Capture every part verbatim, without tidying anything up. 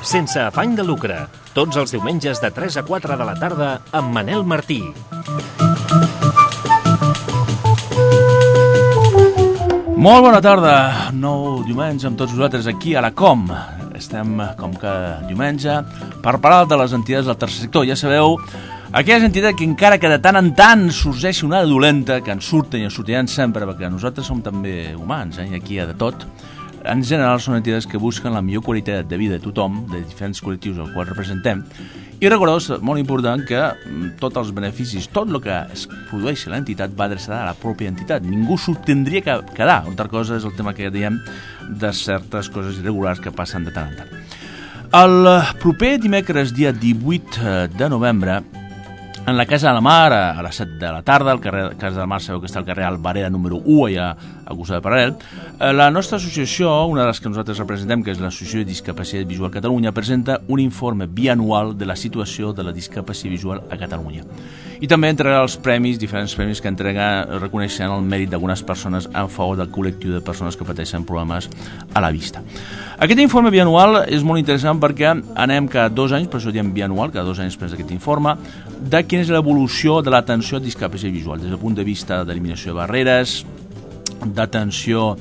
Sense afany de lucre, tots els diumenges de tres a quatre de la tarda amb Manel Martí. Molt bona tarda, nou diumenge amb tots vosaltres aquí a la Com. Estem, com que diumenge, per parlar de les entitats del tercer sector. Ja sabeu, aquelles entitats que encara que de tant en tant sorgeixi una dolenta, que ens surten i ens sortiran sempre, perquè nosaltres som també humans, eh? I aquí hi ha de tot. En general són entitats que busquen la millor qualitat de vida de tothom, de diferents col·lectius als quals representem. I recordeu, és molt important que tots els beneficis, tot el que es produeix a l'entitat va adreçada a la pròpia entitat. Ningú s'ho tindria que quedar. Una altra cosa és el tema que ja diem de certes coses irregulars que passen de tant en tant. El proper dimecres, dia divuit de novembre, en la Casa de la Mar, a les set de la tarda, al carrer Casa de la Mar, sabeu que està al carrer Albareda número u, allà a costat de Paral·lel, la nostra associació, una de les que nosaltres representem, que és l'Associació de Discapacitat Visual Catalunya, presenta un informe bianual de la situació de la discapacitat visual a Catalunya. I també entregarà els premis, diferents premis que entrega reconeixent el mèrit d'algunes persones en favor del col·lectiu de persones que pateixen problemes a la vista. Aquest informe bianual és molt interessant perquè anem cada dos anys, per això diem bianual, cada dos anys després d'aquest informe, de quina és l'evolució de l'atenció a discapacitat visual, des del punt de vista d'eliminació de barreres, d'atenció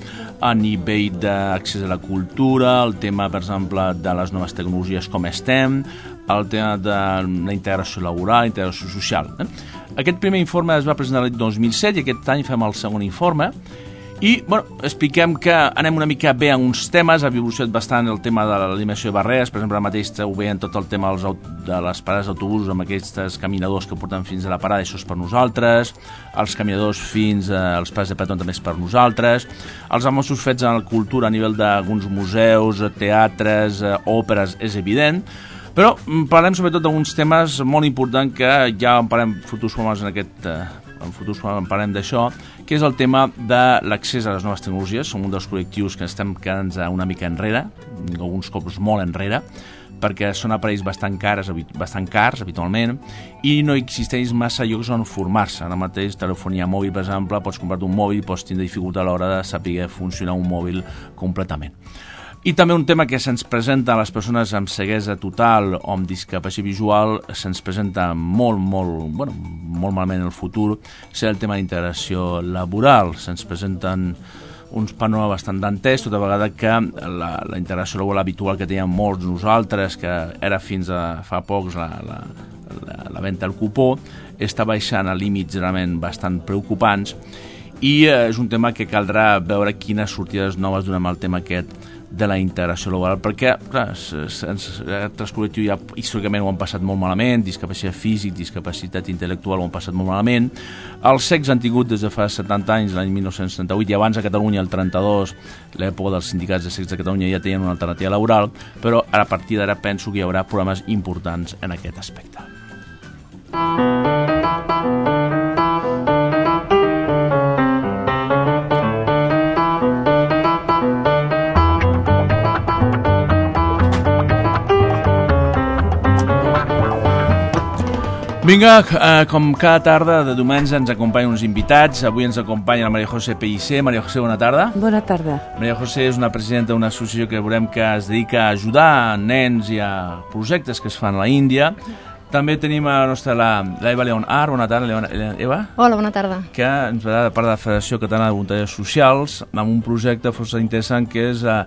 a nivell d'accés a la cultura, el tema, per exemple, de les noves tecnologies com estem, el tema de la integració laboral, la integració social. Eh? Aquest primer informe es va presentar l'any dos mil set i aquest any fem el segon informe. I, bueno, expliquem que anem una mica bé en uns temes, ha evolucionat bastant el tema de l'eliminació de barreres, per exemple, ara mateix ho veiem tot el tema dels, de les parades d'autobusos amb aquests caminadors que porten fins a la parada, això és per nosaltres, els caminadors fins als parades de peatons també és per nosaltres, els avanços fets en la cultura a nivell d'alguns museus, teatres, òperes, és evident, però parlem sobretot d'alguns temes molt importants que ja en parlem futurs formes en aquest... en futurs en parlem d'això, que és el tema de l'accés a les noves tecnologies. Som un dels col·lectius que estem quedant una mica enrere, alguns cops molt enrere, perquè són aparells bastant cars, bastant cars habitualment, i no existeix massa llocs on formar-se. Ara mateix, telefonia mòbil, per exemple, pots comprar-te un mòbil, pots tindre dificultat a l'hora de saber funcionar un mòbil completament. I també un tema que se'ns presenta a les persones amb ceguesa total o amb discapacitat visual, se'ns presenta molt, molt, bueno, molt malament en el futur, serà el tema d'integració laboral. Se'ns presenten uns panorames bastant dantès, tota vegada que la, la integració laboral habitual que teníem molts nosaltres, que era fins a fa pocs la, la, la, la venda al cupó, està baixant a límits realment bastant preocupants i eh, és un tema que caldrà veure quines sortides noves donem al tema aquest de la integració laboral, perquè clar, altres col·lectius ja històricament ho han passat molt malament, discapacitat físic, discapacitat intel·lectual ho han passat molt malament, els cecs han tingut des de fa setanta anys, l'any mil nou-cents setanta-vuit, i abans a Catalunya, el trenta-dos, l'època dels sindicats de cecs de Catalunya ja tenien una alternativa laboral, però a partir d'ara penso que hi haurà problemes importants en aquest aspecte. Vinga, eh, com cada tarda de diumenge ens acompanyen uns invitats. Avui ens acompanya la Maria José Pellicer. Maria José, bona tarda. Bona tarda. Maria José és una presidenta d'una associació que veurem que es dedica a ajudar nens i a projectes que es fan a l'Índia. També tenim a la nostra l'Eva León Ar. Bona tarda, León, Eva. Hola, bona tarda. Que ens va de part de la Federació Catalana de Voluntariats Socials amb un projecte força interessant que és eh,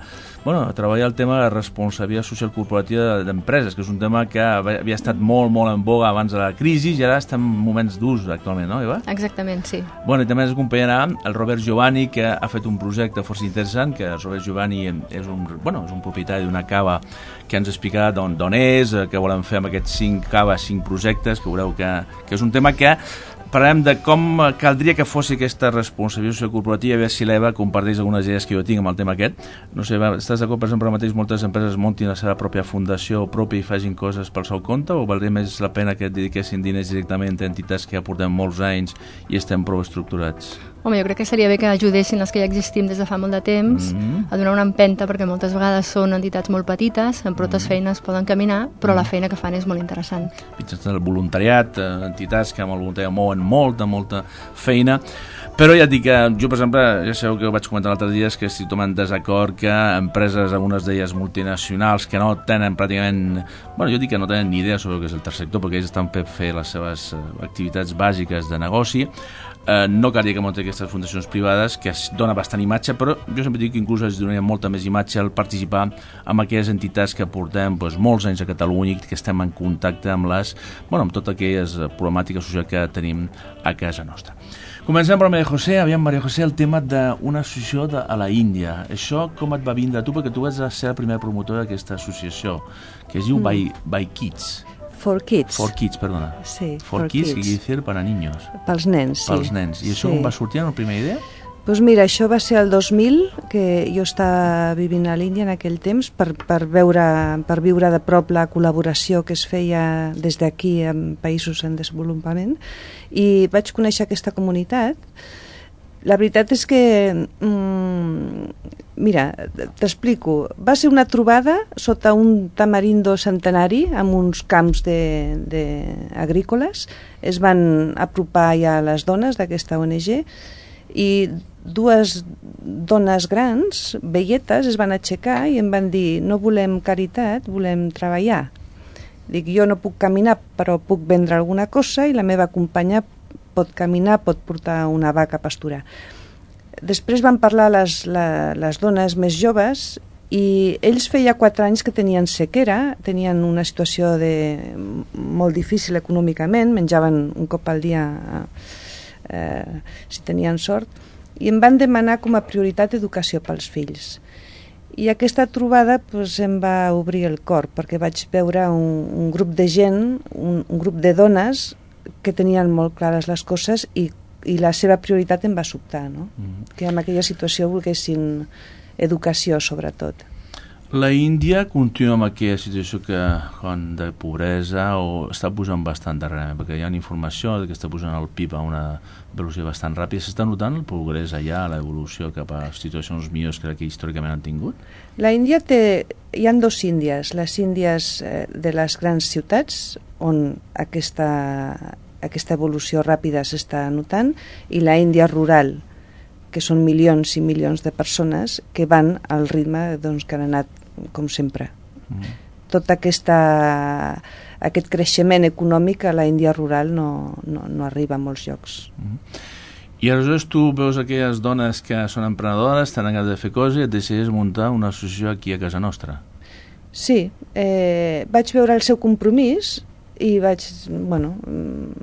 bueno, treballar el tema de la responsabilitat social corporativa d'empreses, que és un tema que havia estat molt, molt en boga abans de la crisi i ara estem en moments d'ús actualment, no, Eva? Exactament, sí. Bueno, i també ens acompanyarà el Robert Giovanni, que ha fet un projecte força interessant, que el Robert Giovanni és un, bueno, és un propietari d'una cava que ens explicarà d'on és, què volem fer amb aquests cinc caves, cinc projectes, que veureu que, que és un tema que parlarem de com caldria que fos aquesta responsabilitat corporativa, a veure si l'Eva comparteix algunes idees que jo tinc amb el tema aquest. No sé, Eva, estàs d'acord, per exemple, ara mateix moltes empreses muntin la seva pròpia fundació pròpia i facin coses pel seu compte, o valdria més la pena que dediquessin diners directament a entitats que ja portem molts anys i estem prou estructurats? Home, jo crec que seria bé que ajudessin els que ja existim des de fa molt de temps mm-hmm. a donar una empenta, perquè moltes vegades són entitats molt petites, amb prou mm-hmm. feines poden caminar, però mm-hmm. la feina que fan és molt interessant. El voluntariat, entitats que amb el voluntariat mouen molta, molta feina, però ja et dic que jo, per exemple, ja sabeu que ho vaig comentar l'altre dia, és que estic tomant desacord que empreses, algunes d'elles multinacionals, que no tenen pràcticament, bueno, jo dic que no tenen ni idea sobre el que és el tercer sector, perquè ells estan per fer les seves activitats bàsiques de negoci, eh, no calia que munti aquestes fundacions privades, que es dona bastant imatge, però jo sempre dic que inclús es donaria molta més imatge al participar amb aquelles entitats que portem doncs, molts anys a Catalunya i que estem en contacte amb les, bueno, amb totes aquelles problemàtiques socials que tenim a casa nostra. Comencem per Maria José. Aviam, Maria José, el tema d'una associació de, a la Índia. Això com et va vindre a tu? Perquè tu vas ser la primera promotora d'aquesta associació, que es diu mm. by, by Kids. For Kids. For Kids, perdona. Sí, For, for Kids, kids. Que dir para niños. Pels nens, sí. Pels nens. I això sí. com va sortir en la primera idea? Doncs mira, això va ser el dos mil, que jo estava vivint a l'Índia en aquell temps, per, per, veure, per viure de prop la col·laboració que es feia des d'aquí en països en desenvolupament, i vaig conèixer aquesta comunitat. La veritat és que, mm, mira, t'explico, va ser una trobada sota un tamarindo centenari amb uns camps de, de agrícoles. Es van apropar ja les dones d'aquesta O N G i dues dones grans, velletes, es van aixecar i em van dir: no volem caritat, volem treballar. Dic, jo no puc caminar, però puc vendre alguna cosa, i la meva companya pot caminar, pot portar una vaca a pasturar. Després van parlar les, la, les dones més joves, i ells feia quatre anys que tenien sequera, tenien una situació de, molt difícil econòmicament, menjaven un cop al dia eh, si tenien sort, i em van demanar com a prioritat educació pels fills. I aquesta trobada pues, em va obrir el cor, perquè vaig veure un, un grup de gent, un, un grup de dones que tenien molt clares les coses, i, i la seva prioritat em va sobtar, no? Mm. Que en aquella situació volguessin educació, sobretot. La Índia continua amb aquella situació que, quan de pobresa, o està pujant bastant darrerament, perquè hi ha informació que està pujant el P I B a una velocitat bastant ràpida. S'està notant el progrés allà, l'evolució cap a situacions millors que que històricament han tingut? La Índia té... Hi ha dos Índies. Les Índies de les grans ciutats, on aquesta, aquesta evolució ràpida s'està notant, i la Índia rural, que són milions i milions de persones que van al ritme doncs, que han anat com sempre. Mm. Tot aquesta, aquest creixement econòmic a la Índia rural no, no, no arriba a molts llocs. Mm. I aleshores tu veus aquelles dones que són emprenedores, tenen ganes de fer coses, i et decideixes muntar una associació aquí a casa nostra. Sí, eh, vaig veure el seu compromís i vaig, bueno,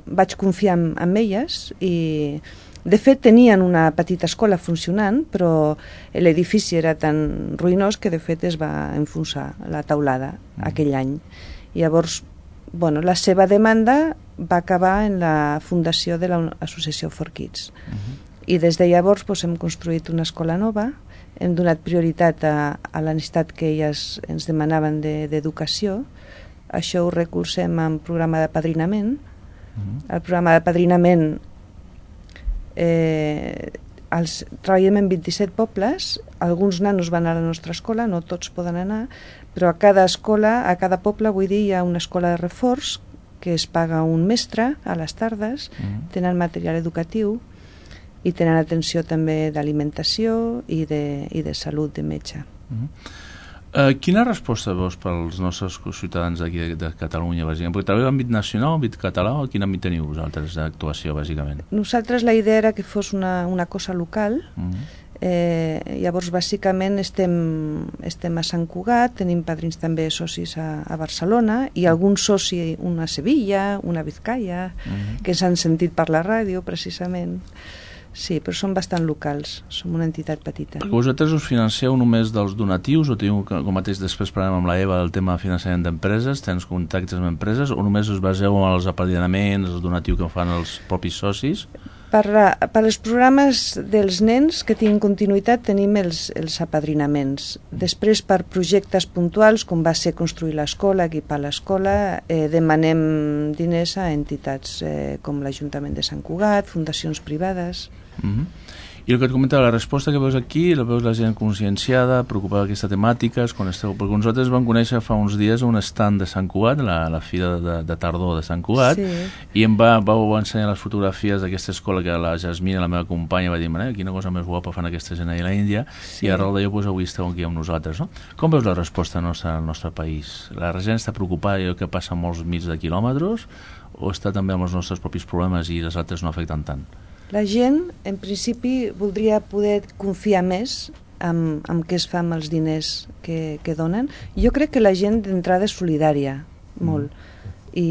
vaig confiar en, en elles, i de fet tenien una petita escola funcionant, però l'edifici era tan ruïnós que de fet es va enfonsar la teulada mm. aquell any. I llavors, bueno, la seva demanda va acabar en la fundació de l'associació For Kids. Mm-hmm. I des de llavors doncs, hem construït una escola nova, hem donat prioritat a, a la necessitat que elles ens demanaven d'educació. Això ho recolzem en programa de padrinament. Mm-hmm. El programa de padrinament Eh, els, treballem en vint-i-set pobles, alguns nanos van a la nostra escola, no tots poden anar, però a cada escola, a cada poble, vull dir, hi ha una escola de reforç que es paga un mestre a les tardes, mm. tenen material educatiu i tenen atenció també d'alimentació i, de, i de salut de metge. Mm. Uh, quina resposta veus pels nostres ciutadans d'aquí de, de Catalunya, bàsicament? Perquè treballeu en àmbit nacional, en àmbit català, o quin àmbit teniu vosaltres d'actuació, bàsicament? Nosaltres la idea era que fos una, una cosa local. Mm. Eh, llavors, bàsicament, estem, estem a Sant Cugat, tenim padrins també socis a, a Barcelona, i algun soci, una a Sevilla, una a Vizcaya, mm. que s'han sentit per la ràdio, precisament. Sí, però són bastant locals, som una entitat petita. Perquè vosaltres us financeu només dels donatius, o teniu, com mateix després parlem amb la Eva del tema de finançament d'empreses, tens contactes amb empreses, o només us baseu en els apadrinaments, els donatius que fan els propis socis? Per, la, per als programes dels nens que tinguin continuïtat tenim els, els apadrinaments. Després, per projectes puntuals, com va ser construir l'escola, equipar l'escola, eh, demanem diners a entitats eh, com l'Ajuntament de Sant Cugat, fundacions privades. Mm-hmm. I el que et comentava, la resposta que veus aquí, la veus la gent conscienciada, preocupada d'aquesta temàtica, quan esteu, perquè nosaltres vam conèixer fa uns dies un stand de Sant Cugat, la, la fira de, de tardor de Sant Cugat, sí. I em va, vau ensenyar les fotografies d'aquesta escola que la Jasmina, la meva companya, va dir, quina cosa més guapa fan aquesta gent allà a l'Índia, sí. I arrel d'allò pues, avui esteu aquí amb nosaltres, no? Com veus la resposta nostra al nostre país? La gent està preocupada i el que passa molts mils de quilòmetres, o està també amb els nostres propis problemes i les altres no afecten tant? La gent, en principi, voldria poder confiar més en, en què es fa amb els diners que, que donen. Jo crec que la gent d'entrada és solidària, molt. Mm. I,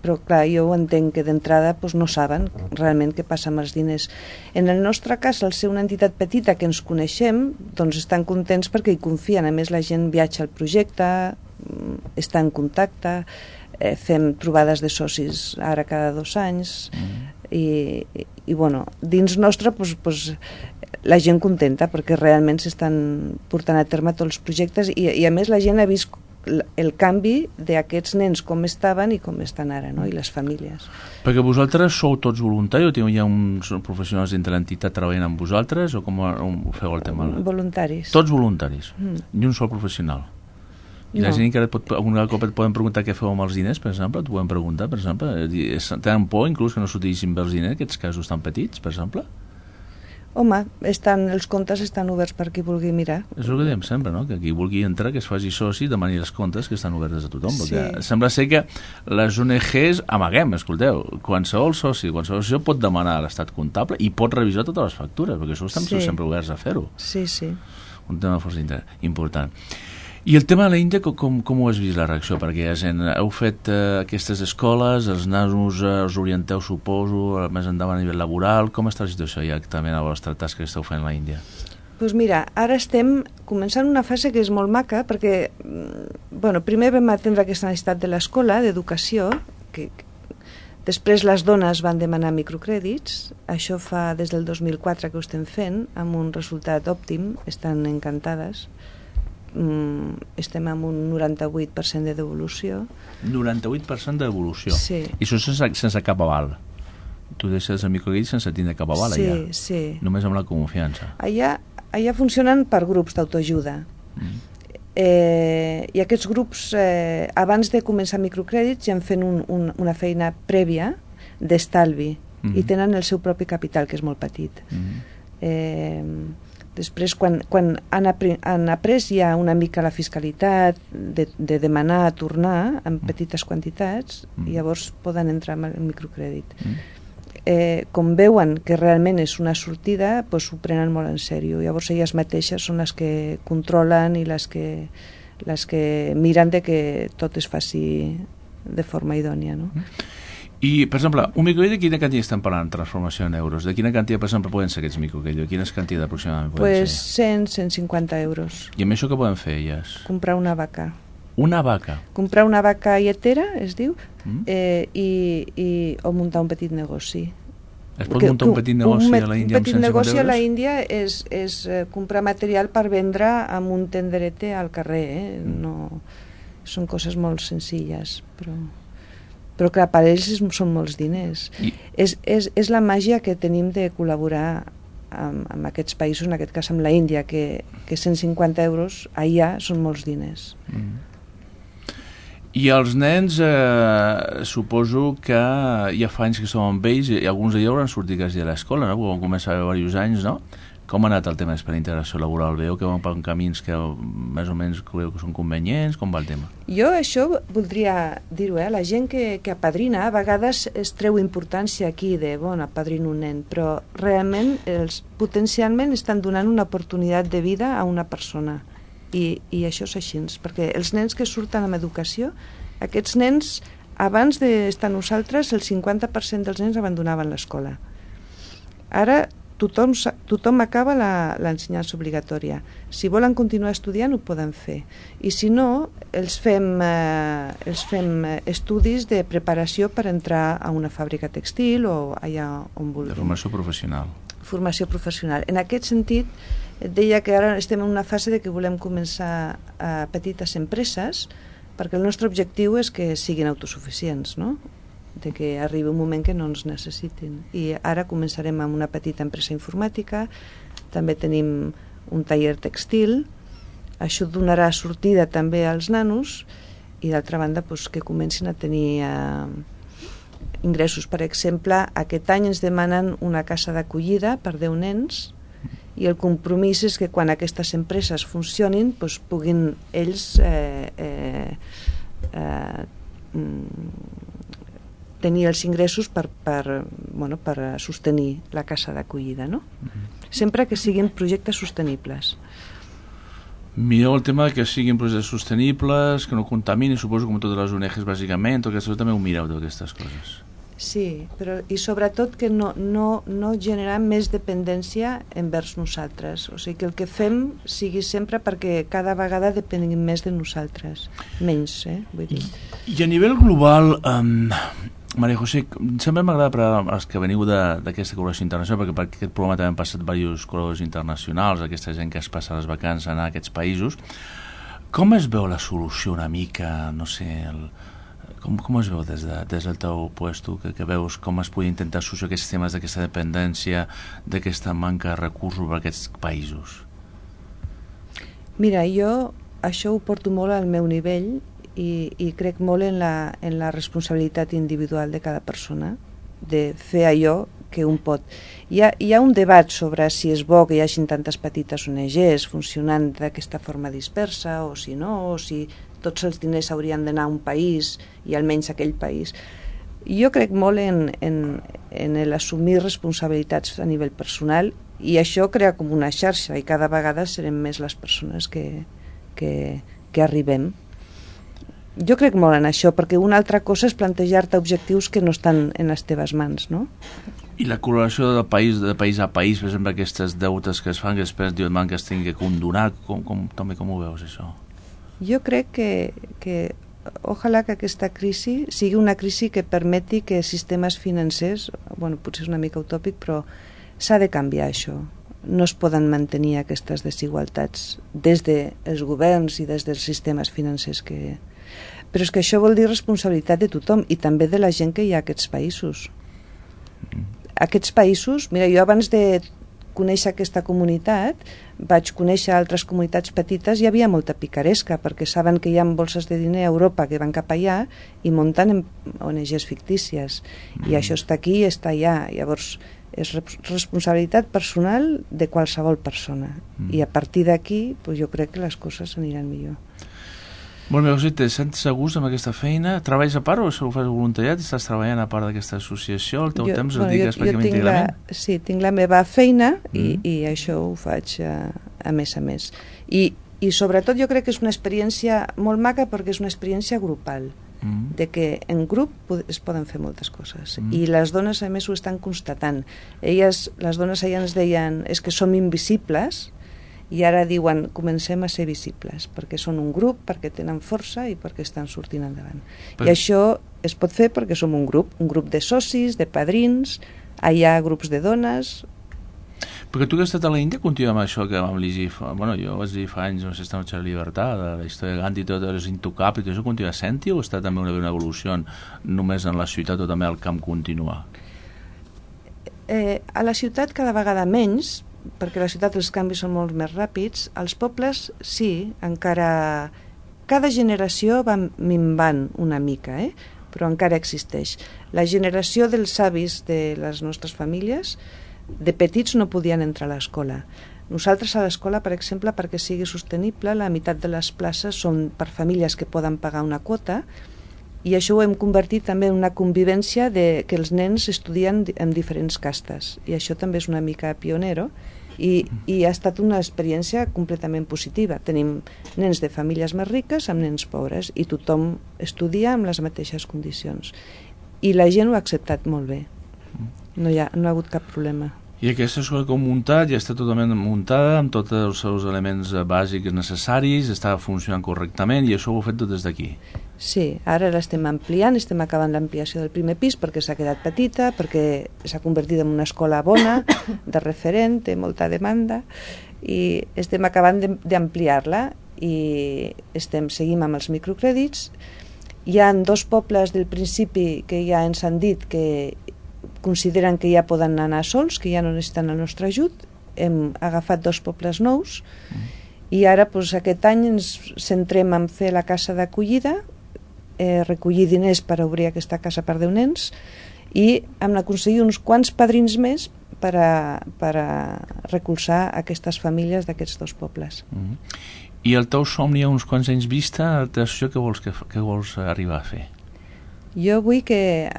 però, clar, jo ho entenc que d'entrada doncs, no saben realment què passa amb els diners. En el nostre cas, al ser una entitat petita que ens coneixem, doncs estan contents perquè hi confien. A més, la gent viatja al projecte, està en contacte, eh, fem trobades de socis ara cada dos anys... Mm. I, i, i bueno, dins nostre pues, pues, la gent contenta perquè realment s'estan portant a terme tots els projectes i, i a més la gent ha vist el canvi d'aquests nens com estaven i com estan ara, no? I les famílies. Perquè vosaltres sou tots voluntaris o hi ha uns professionals dintre l'entitat treballant amb vosaltres o com ho feu el tema? Voluntaris. Tots voluntaris, mm. Ni un sol professional. I no. La gent que pot, alguna cop et poden preguntar què feu amb els diners, per exemple, et poden preguntar, per exemple, tenen por inclús que no s'utilitzin bé els diners, aquests casos tan petits, per exemple? Home, estan, els comptes estan oberts per qui vulgui mirar. És el que diem sempre, no? Que qui vulgui entrar, que es faci soci, demani els comptes que estan oberts a tothom, sí. Perquè sembla ser que les O N Ges amaguem, escolteu, qualsevol soci, qualsevol soci pot demanar a l'estat comptable i pot revisar totes les factures, perquè això estem sí. sempre oberts a fer-ho. Sí, sí. Un tema força important. I el tema de l'Índia, com, com ho has vist la reacció? Perquè ja gent, heu fet eh, aquestes escoles, els nanos eh, els orienteu, suposo, més endavant a nivell laboral. Com està la situació ja també a la vostra tasca que esteu fent a l'Índia? Doncs pues mira, ara estem començant una fase que és molt maca, perquè bueno, primer vam atendre aquesta necessitat de l'escola, d'educació, que després les dones van demanar microcrèdits, això fa des del dos mil quatre que ho estem fent, amb un resultat òptim, estan encantades. Mm, estem amb un noranta-vuit per cent de devolució. noranta-vuit per cent de devolució? Sí. I això sense, sense cap aval? Tu deixes el microcrèdit sense tindre cap aval sí, allà? Sí, sí. Només amb la confiança? Allà, allà funcionen per grups d'autoajuda. Mm. Eh, I aquests grups, eh, abans de començar microcrèdits, ja han fet un, un, una feina prèvia d'estalvi mm. i tenen el seu propi capital, que és molt petit. Mm. Eh... Després, quan, quan han, après, han après ja una mica la fiscalitat de, de demanar a tornar en petites quantitats, mm. i llavors poden entrar en el microcrèdit. Mm. Eh, com veuen que realment és una sortida, doncs ho prenen molt en sèrio. Llavors elles mateixes són les que controlen i les que, les que miren de que tot es faci de forma idònia, no? Mm. I, per exemple, un microcrèdit, de quina quantitat estem parlant, transformació en euros? De quina quantitat, per exemple, poden ser aquests microcrèdits? Quines quantitats aproximadament poden pues ser? cent a cent cinquanta euros. I amb això què poden fer, elles? Comprar una vaca. Una vaca? Comprar una vaca lletera, es diu, mm. eh, i, i, o muntar un petit negoci. Es pot muntar un petit negoci un, a la Índia amb cent cinquanta euros? Un petit negoci a la Índia és, és eh, comprar material per vendre amb un tenderete al carrer. Eh? No, són coses molt senzilles, però... però clar, per ells són molts diners. I... És, és, és la màgia que tenim de col·laborar amb, amb aquests països, en aquest cas amb la Índia, que, que cent cinquanta euros allà són molts diners. Mm. I els nens, eh, suposo que ja fa anys que som amb ells i alguns d'ells hauran sortit quasi de l'escola, no? Quan comença a haver diversos anys, no? Com ha anat el tema per integració laboral? Veieu que van per camins que més o menys creu que són convenients? Com va el tema? Jo això voldria dir-ho, eh? La gent que, que apadrina a vegades es treu importància aquí de, bueno, apadrino un nen, però realment els potencialment estan donant una oportunitat de vida a una persona i, i això és així, perquè els nens que surten amb educació, aquests nens abans d'estar nosaltres el cinquanta per cent dels nens abandonaven l'escola. Ara tothom, tothom acaba l'ensenyança obligatòria. Si volen continuar estudiant, ho poden fer. I si no, els fem, eh, els fem estudis de preparació per entrar a una fàbrica textil o allà on vulguin. De formació professional. Formació professional. En aquest sentit, et deia que ara estem en una fase de que volem començar a petites empreses, perquè el nostre objectiu és que siguin autosuficients, no? De que arribi un moment que no ens necessitin. I ara començarem amb una petita empresa informàtica, també tenim un taller textil, això donarà sortida també als nanos i d'altra banda doncs, que comencin a tenir eh, ingressos. Per exemple, aquest any ens demanen una casa d'acollida per deu nens i el compromís és que quan aquestes empreses funcionin doncs, puguin ells eh, eh, eh, tenir els ingressos per, per, bueno, per sostenir la casa d'acollida, no? Mm-hmm. Sempre que siguin projectes sostenibles. Mireu el tema que siguin projectes sostenibles, que no contaminin, suposo com totes les O N Ges bàsicament, tot això també ho mireu d'aquestes coses. Sí, però i sobretot que no, no, no generar més dependència envers nosaltres, o sigui que el que fem sigui sempre perquè cada vegada depenguem més de nosaltres, menys, eh, vull dir. I, i a nivell global, um, Maria José, sempre m'agrada per als que veniu d'aquesta col·laboració internacional, perquè per aquest programa també han passat diversos col·laboradors internacionals, aquesta gent que es passa les vacances a anar a aquests països. Com es veu la solució una mica, no sé, el, com, com es veu des, de, des del teu puesto, que, que veus com es podria intentar solucionar aquests temes d'aquesta dependència, d'aquesta manca de recursos per aquests països? Mira, jo això ho porto molt al meu nivell i, i crec molt en la, en la responsabilitat individual de cada persona de fer allò que un pot. Hi ha, hi ha un debat sobre si és bo que hi hagin tantes petites O N Ges funcionant d'aquesta forma dispersa o si no, o si tots els diners haurien d'anar a un país i almenys a aquell país. Jo crec molt en, en, en l'assumir responsabilitats a nivell personal i això crea com una xarxa i cada vegada serem més les persones que, que, que arribem. Jo crec molt en això, perquè una altra cosa és plantejar-te objectius que no estan en les teves mans, no? I la col·laboració de país, de país a país, per exemple, aquestes deutes que es fan, que després diuen que es tingui que condonar, com, com, també com ho veus, això? Jo crec que, que ojalà que aquesta crisi sigui una crisi que permeti que sistemes financers, bueno, potser és una mica utòpic, però s'ha de canviar això. No es poden mantenir aquestes desigualtats des dels governs i des dels sistemes financers que... Però és que això vol dir responsabilitat de tothom i també de la gent que hi ha a aquests països. Aquests països, mira, jo abans de conèixer aquesta comunitat vaig conèixer altres comunitats petites i hi havia molta picaresca perquè saben que hi ha bolses de diner a Europa que van cap allà i munten O N Ges fictícies i això està aquí i està allà. Llavors és responsabilitat personal de qualsevol persona i a partir d'aquí pues, jo crec que les coses aniran millor. Molt bé, José, te sents a gust amb aquesta feina? Treballes a part o ho fas voluntariat? Estàs treballant a part d'aquesta associació? El teu jo, temps el bueno, dediques pràcticament íntegrament? Sí, tinc la meva feina i, mm. i això ho faig a, a més a més. I, I sobretot jo crec que és una experiència molt maca perquè és una experiència grupal, mm. de que en grup es poden fer moltes coses. Mm. I les dones a més ho estan constatant. Elles, les dones allà ens deien és que som invisibles i ara diuen comencem a ser visibles perquè són un grup, perquè tenen força i perquè estan sortint endavant. Però... I això es pot fer perquè som un grup, un grup de socis, de padrins, hi ha grups de dones. Perquè tu que has estat a l'Índia continua amb això que vam llegir, bueno, jo vaig dir fa anys, no sé, Esta noche de libertad, de la història de Gandhi, tot és intocable, i això continua sent-hi o està també una, una evolució només en la ciutat o també al camp continua? Eh, a la ciutat cada vegada menys, perquè a la ciutat els canvis són molt més ràpids. Als pobles sí, encara cada generació va minvant una mica, eh? Però encara existeix. La generació dels avis de les nostres famílies de petits no podien entrar a l'escola. Nosaltres a l'escola, per exemple, perquè sigui sostenible, la meitat de les places són per famílies que poden pagar una quota i això ho hem convertit també en una convivència de que els nens estudien en diferents castes i això també és una mica pionero i, i ha estat una experiència completament positiva. Tenim nens de famílies més riques amb nens pobres i tothom estudia amb les mateixes condicions i la gent ho ha acceptat molt bé, no hi ha, no ha hagut cap problema. I aquesta escola com muntat ja està totalment muntada amb tots els seus elements bàsics necessaris, està funcionant correctament i això ho heu fet tot des d'aquí. Sí, ara l'estem ampliant, estem acabant l'ampliació del primer pis perquè s'ha quedat petita, perquè s'ha convertit en una escola bona, de referent, té molta demanda i estem acabant d'ampliar-la i estem, seguim amb els microcrèdits. Hi ha dos pobles del principi que ja ens han dit que consideren que ja poden anar sols, que ja no necessiten el nostre ajut. Hem agafat dos pobles nous mm. i ara doncs, aquest any ens centrem en fer la casa d'acollida, eh, recollir diners per obrir aquesta casa per deu nens i hem d'aconseguir uns quants padrins més per a, per a recolzar aquestes famílies d'aquests dos pobles. Mm. I el teu somni a uns quants anys vista, el teu associació, què vols, que, què vols arribar a fer? Jo vull que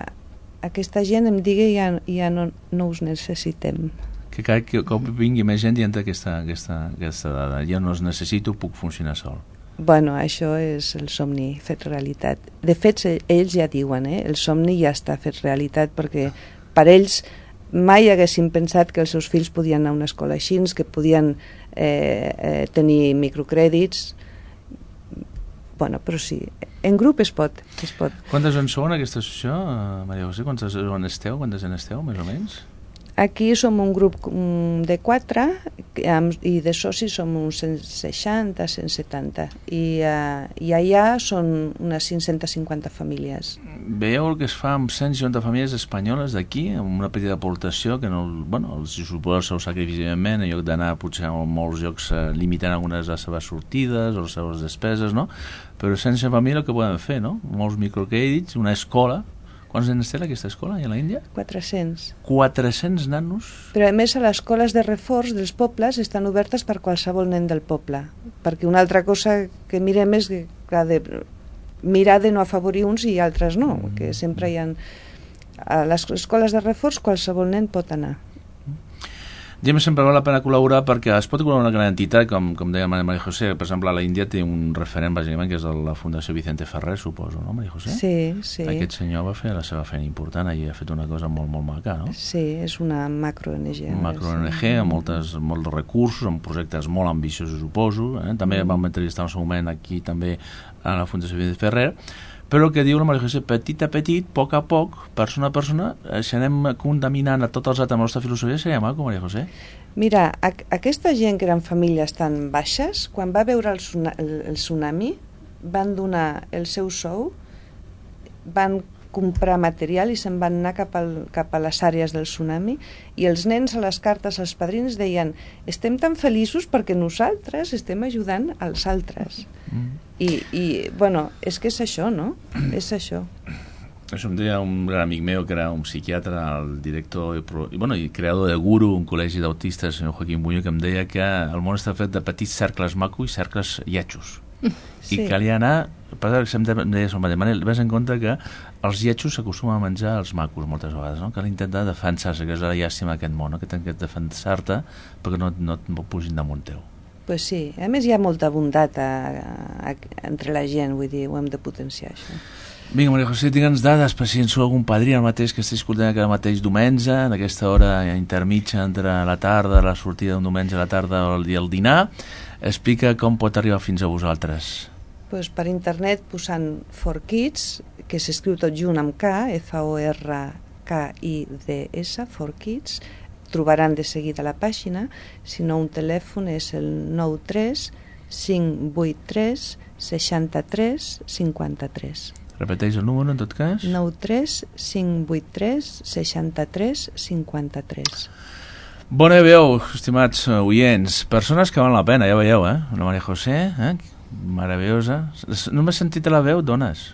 aquesta gent em digui ja, ja no, no us necessitem. Que cada cop vingui més gent dient aquesta, aquesta, aquesta dada. Jo no us necessito, puc funcionar sol. Bueno, això és el somni fet realitat. De fet, ells ja diuen, eh? El somni ja està fet realitat perquè per ells mai haguessin pensat que els seus fills podien anar a una escola així, que podien eh, eh, tenir microcrèdits. Bueno, però sí, en grup es pot, es pot. Quantes en sou en aquesta associació, Maria José? Quantes en esteu? Quantes en esteu, més o menys? Aquí som un grup de quatre i de socis som uns cent seixanta, cent setanta i, uh, i allà són unes cinc-centes cinquanta famílies. Veieu el que es fa amb cent cinquanta famílies espanyoles d'aquí, amb una petita aportació que no, bueno, els suposa el seu sacrifici, en lloc d'anar potser a molts llocs eh, limitant algunes de les seves sortides o les seves despeses, no? Però sense família el que poden fer, no? Molts microcrèdits, una escola. Quants nens té aquesta escola, a l'Índia? quatre-cents. quatre-cents nanos? Però a més a les escoles de reforç dels pobles estan obertes per qualsevol nen del poble, perquè una altra cosa que mirem és que, clar, de mirar de no afavorir uns i altres no, mm. que sempre hi ha... A les escoles de reforç qualsevol nen pot anar. Ja sempre val la pena col·laborar perquè es pot col·laborar una gran entitat, com, com deia Maria José. Per exemple, a la Índia té un referent, bàsicament, que és la Fundació Vicente Ferrer, suposo, no, Maria José? Sí, sí. Aquest senyor va fer la seva feina important i ha fet una cosa molt, molt maca, no? Sí, és una macro-O N G. Una macro-O N G amb moltes, molts recursos, amb projectes molt ambiciosos, suposo. Eh? També mm. vam entrevistar en el seu moment aquí també a la Fundació Vicente Ferrer. Però el que diu la Maria José, petit a petit, a poc a poc, persona a persona, eh, si anem contaminant a tots els altres amb la nostra filosofia, seria maco, Maria José? Mira, a, aquesta gent que eren famílies tan baixes, quan va veure el, el, el tsunami, van donar el seu sou, van comprar material i se'n van anar cap, al, cap a les àrees del tsunami i els nens a les cartes als padrins deien estem tan feliços perquè nosaltres estem ajudant als altres. Mm. I, i, bueno, és que és això, no? És això. Això em deia un gran amic meu que era un psiquiatre, el director i, bueno, i creador de Guru, un col·legi d'autistes, el senyor Joaquim Buño, que em deia que el món està fet de petits cercles macos i cercles lletjos. Sí. I calia anar, per exemple, em deia el mateix, Manel, ves en compte que els lletjos s'acostumen a menjar els macos moltes vegades, no? Cal intentar defensar-se, que és la llàstima aquest món, no? Que tens que defensar-te perquè no, no et pugin damunt teu. Pues sí, a més hi ha molta bondat a, a, a, entre la gent, vull dir, ho hem de potenciar, això. Vinga, Maria José, digue'ns dades per si en sou algun padrí el mateix que estic escoltant aquest mateix diumenge, en aquesta hora intermitja entre la tarda, la sortida d'un diumenge a la tarda i el dinar. Explica com pot arribar fins a vosaltres. Pues per internet posant For Kids, que s'escriu tot junt amb K, F O R K I D S, For Kids, trobaran de seguida la pàgina, si no un telèfon és el nou tres cinc vuit tres seixanta-tres cinquanta-tres. Repeteix el número, en tot cas. nou tres cinc vuit tres seixanta-tres cinquanta-tres. Bona veu, estimats oients. Persones que valen la pena, ja veieu, eh? Una Maria José, eh? Meravellosa. No m'he sentit a la veu, dones.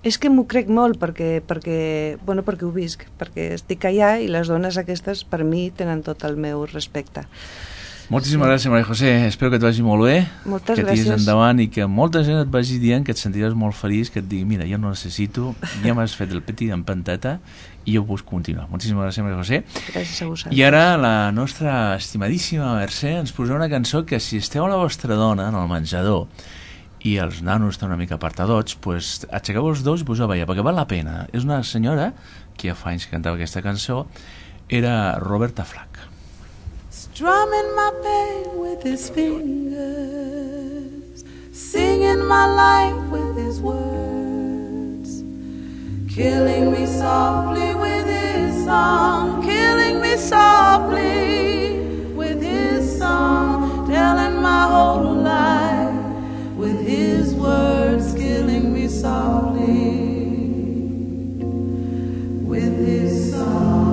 És que m'ho crec molt perquè, perquè, bueno, perquè ho visc, perquè estic allà i les dones aquestes per mi tenen tot el meu respecte. Moltíssimes sí. gràcies, Maria José. Espero que et vagi molt bé. Moltes que gràcies. Que endavant i que molta gent et vagi dient que et sentiràs molt feliç, que et digui, mira, jo no necessito, ja m'has fet el petit en panteta i jo puc continuar. Moltíssimes gràcies, Maria José. Gràcies a vosaltres. I ara la nostra estimadíssima Mercè ens posarà una cançó que si esteu a la vostra dona en el menjador i els nanos estan una mica apartadots, pues, aixequeu els dos i poseu a ballar, perquè val la pena. És una senyora que ja fa anys que cantava aquesta cançó era Roberta Flack. Strumming my pain with his fingers, singing my life with his words, killing me softly with his song, killing me softly with his song, telling my whole life with his words, killing me softly with his song.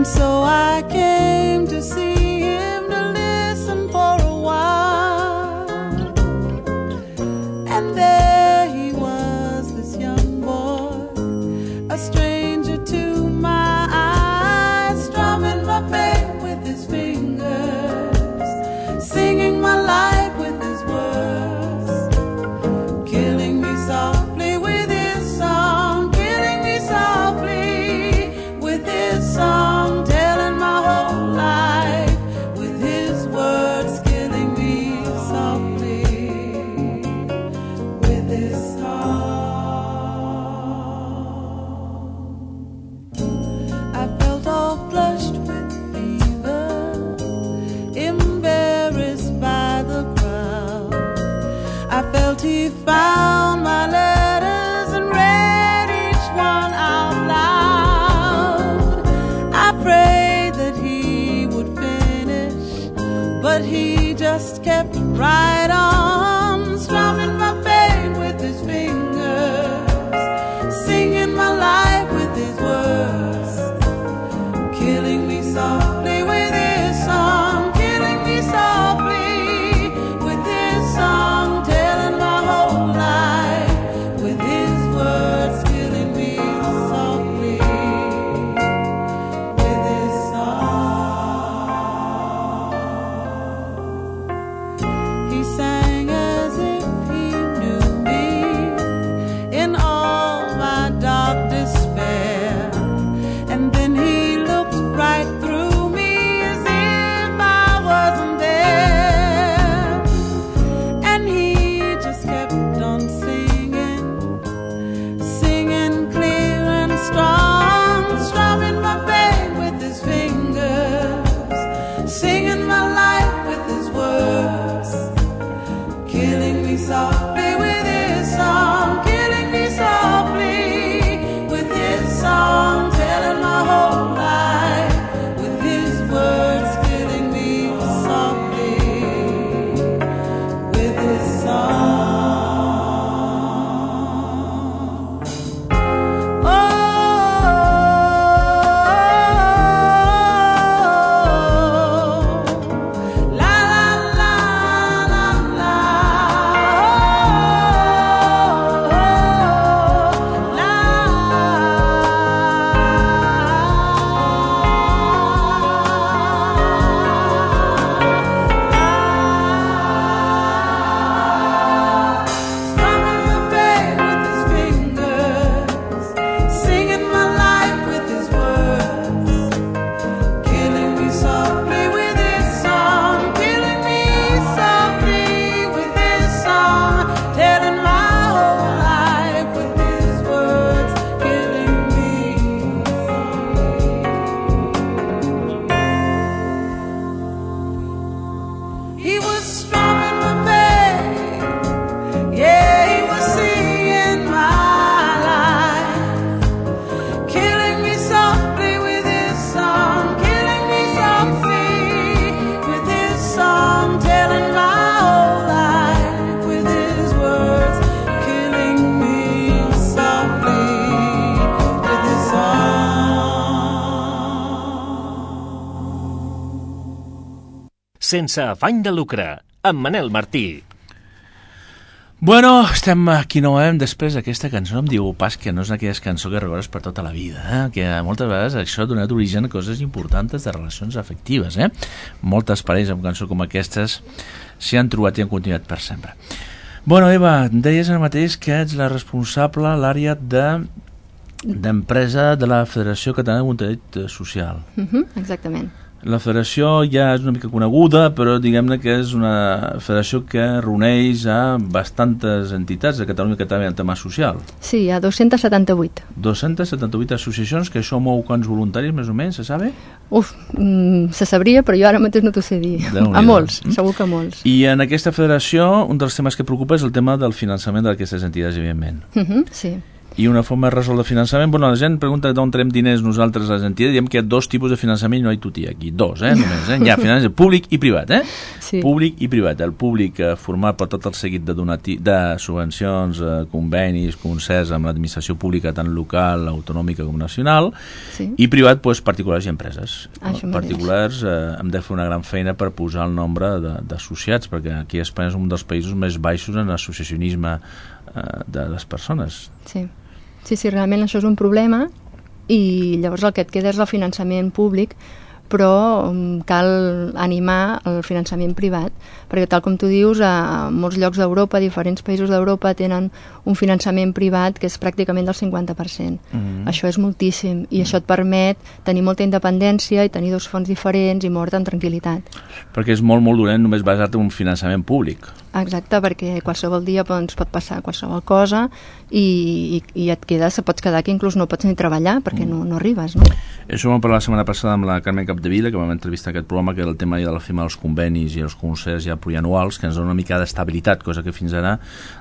So I came to see him, to listen for a while. And there he was, this young boy, a stranger to my eyes, strumming my pain with his fingers, singing my life with his words, killing me softly with his song, killing me softly with his song. He found my letters and read each one out loud. I prayed that he would finish, but he just kept right on, strumming my pain with his fingers, singing my life with his words, killing me softly with his song, killing me softly with his song. Sense afany de lucre, amb Manel Martí. Bueno, estem aquí novament després d'aquesta cançó. Em diu pas que no és aquella cançó que recordes per tota la vida, eh? Que moltes vegades això ha donat origen a coses importants de relacions afectives, eh? Moltes parelles amb cançó com aquestes s'hi han trobat i han continuat per sempre. Bueno, Eva, em deies ara mateix que ets la responsable a l'àrea de d'empresa de la Federació Catalana de Voluntariat Social. Uh-huh, exactament. La federació ja és una mica coneguda, però diguem-ne que és una federació que reuneix a bastantes entitats de Catalunya que també en tema social. Sí, hi ha dos-cents setanta-vuit. dos-cents setanta-vuit associacions, que això mou quants voluntaris, més o menys, se sabe? Uf, mm, se sabria, però jo ara mateix no t'ho sé dir. A molts, segur que molts. I en aquesta federació, un dels temes que preocupa és el tema del finançament d'aquestes entitats, evidentment. Uh-huh, sí. I una forma de resoldre el finançament, bueno, la gent pregunta d'on traiem diners nosaltres les entitats, diem que hi ha dos tipus de finançament, no hi tutia aquí, dos, eh, només, eh? Hi ha finançament públic i privat, eh? Sí. Públic i privat. El públic eh, format per tot el seguit de, donati de subvencions, eh, convenis, concerts amb l'administració pública tant local, autonòmica com nacional, Sí. i privat, doncs, particulars i empreses. Això Particulars eh, hem de fer una gran feina per posar el nombre d'associats, perquè aquí a Espanya és un dels països més baixos en l'associacionisme eh, de les persones. Sí. Sí, sí, realment això és un problema i llavors el que et queda és el finançament públic, però um, cal animar el finançament privat, perquè tal com tu dius, a molts llocs d'Europa, diferents països d'Europa tenen un finançament privat que és pràcticament del cinquanta per cent. Mm-hmm. Això és moltíssim i mm-hmm. això et permet tenir molta independència i tenir dos fonts diferents i moure't en tranquil·litat. Perquè és molt, molt dolent només basar-te en un finançament públic. Exacte, perquè qualsevol dia doncs, pot passar qualsevol cosa i, i, i et quedes, pots quedar que inclús no pots ni treballar perquè mm. no, no arribes, no? Això vam parlar la setmana passada amb la Carmen Capdevila, que vam entrevistar aquest programa, que era el tema ja del tema dels convenis i els concerts ja plurianuals, que ens dona una mica d'estabilitat, cosa que fins ara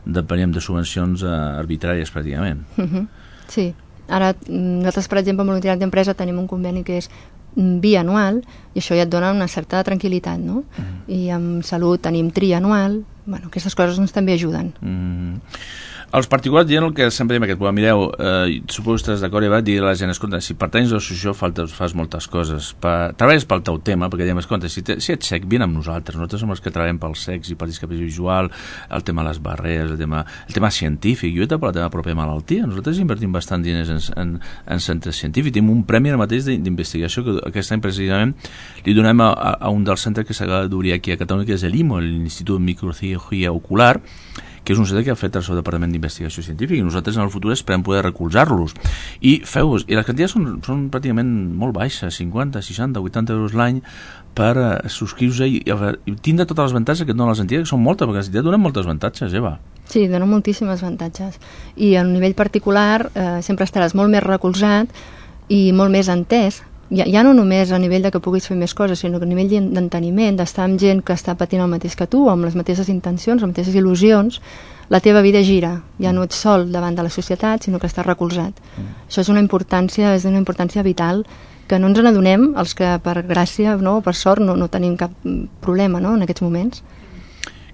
depeníem de subvencions eh, arbitràries pràcticament. Uh-huh. Sí, ara nosaltres, per exemple, en voluntariat d'empresa tenim un conveni que és bianual i això ja et dona una certa tranquil·litat, no? Mm. I amb salut tenim trianual. Bueno, aquestes coses ens també ajuden. Mm. Els particulars diuen el que sempre diem aquest programa, mireu, eh, suposo que estàs d'acord, Eva, dir a la gent, escolta, si pertanys a l'associació fas moltes coses, pa, treballes pel teu tema, perquè diem, escolta, si, te, si ets cec, vine amb nosaltres, nosaltres som els que treballem pels cecs i per discapacitat visual, el tema de les barreres, el tema, el tema científic, jo he per la teva pròpia malaltia, nosaltres invertim bastant diners en, en, en centres científics, tenim un premi ara mateix d'investigació que aquest any precisament li donem a, a, a un dels centres que s'ha d'obrir aquí a Catalunya, que és l'I M O, l'Institut de Microcirurgia Ocular, que és un centre que ha fet el seu Departament d'Investigació Científica i nosaltres en el futur esperem poder recolzar-los. I feu-vos, i les quantitats són, són pràcticament molt baixes, cinquanta, seixanta, vuitanta euros l'any per uh, subscriure-se i, i tindre totes les avantatges que et donen les entitats, que són moltes, perquè les entitats donen moltes avantatges, Eva. Sí, donen moltíssimes avantatges. I a nivell particular eh, sempre estaràs molt més recolzat i molt més entès. Ja, ja no només a nivell de que puguis fer més coses, sinó que a nivell d'enteniment, d'estar amb gent que està patint el mateix que tu, amb les mateixes intencions, les mateixes il·lusions, la teva vida gira. Ja no ets sol davant de la societat, sinó que estàs recolzat. Mm. Això és una importància, és una importància vital que no ens n'adonem, els que per gràcia, no, per sort, no, no tenim cap problema, no, en aquests moments.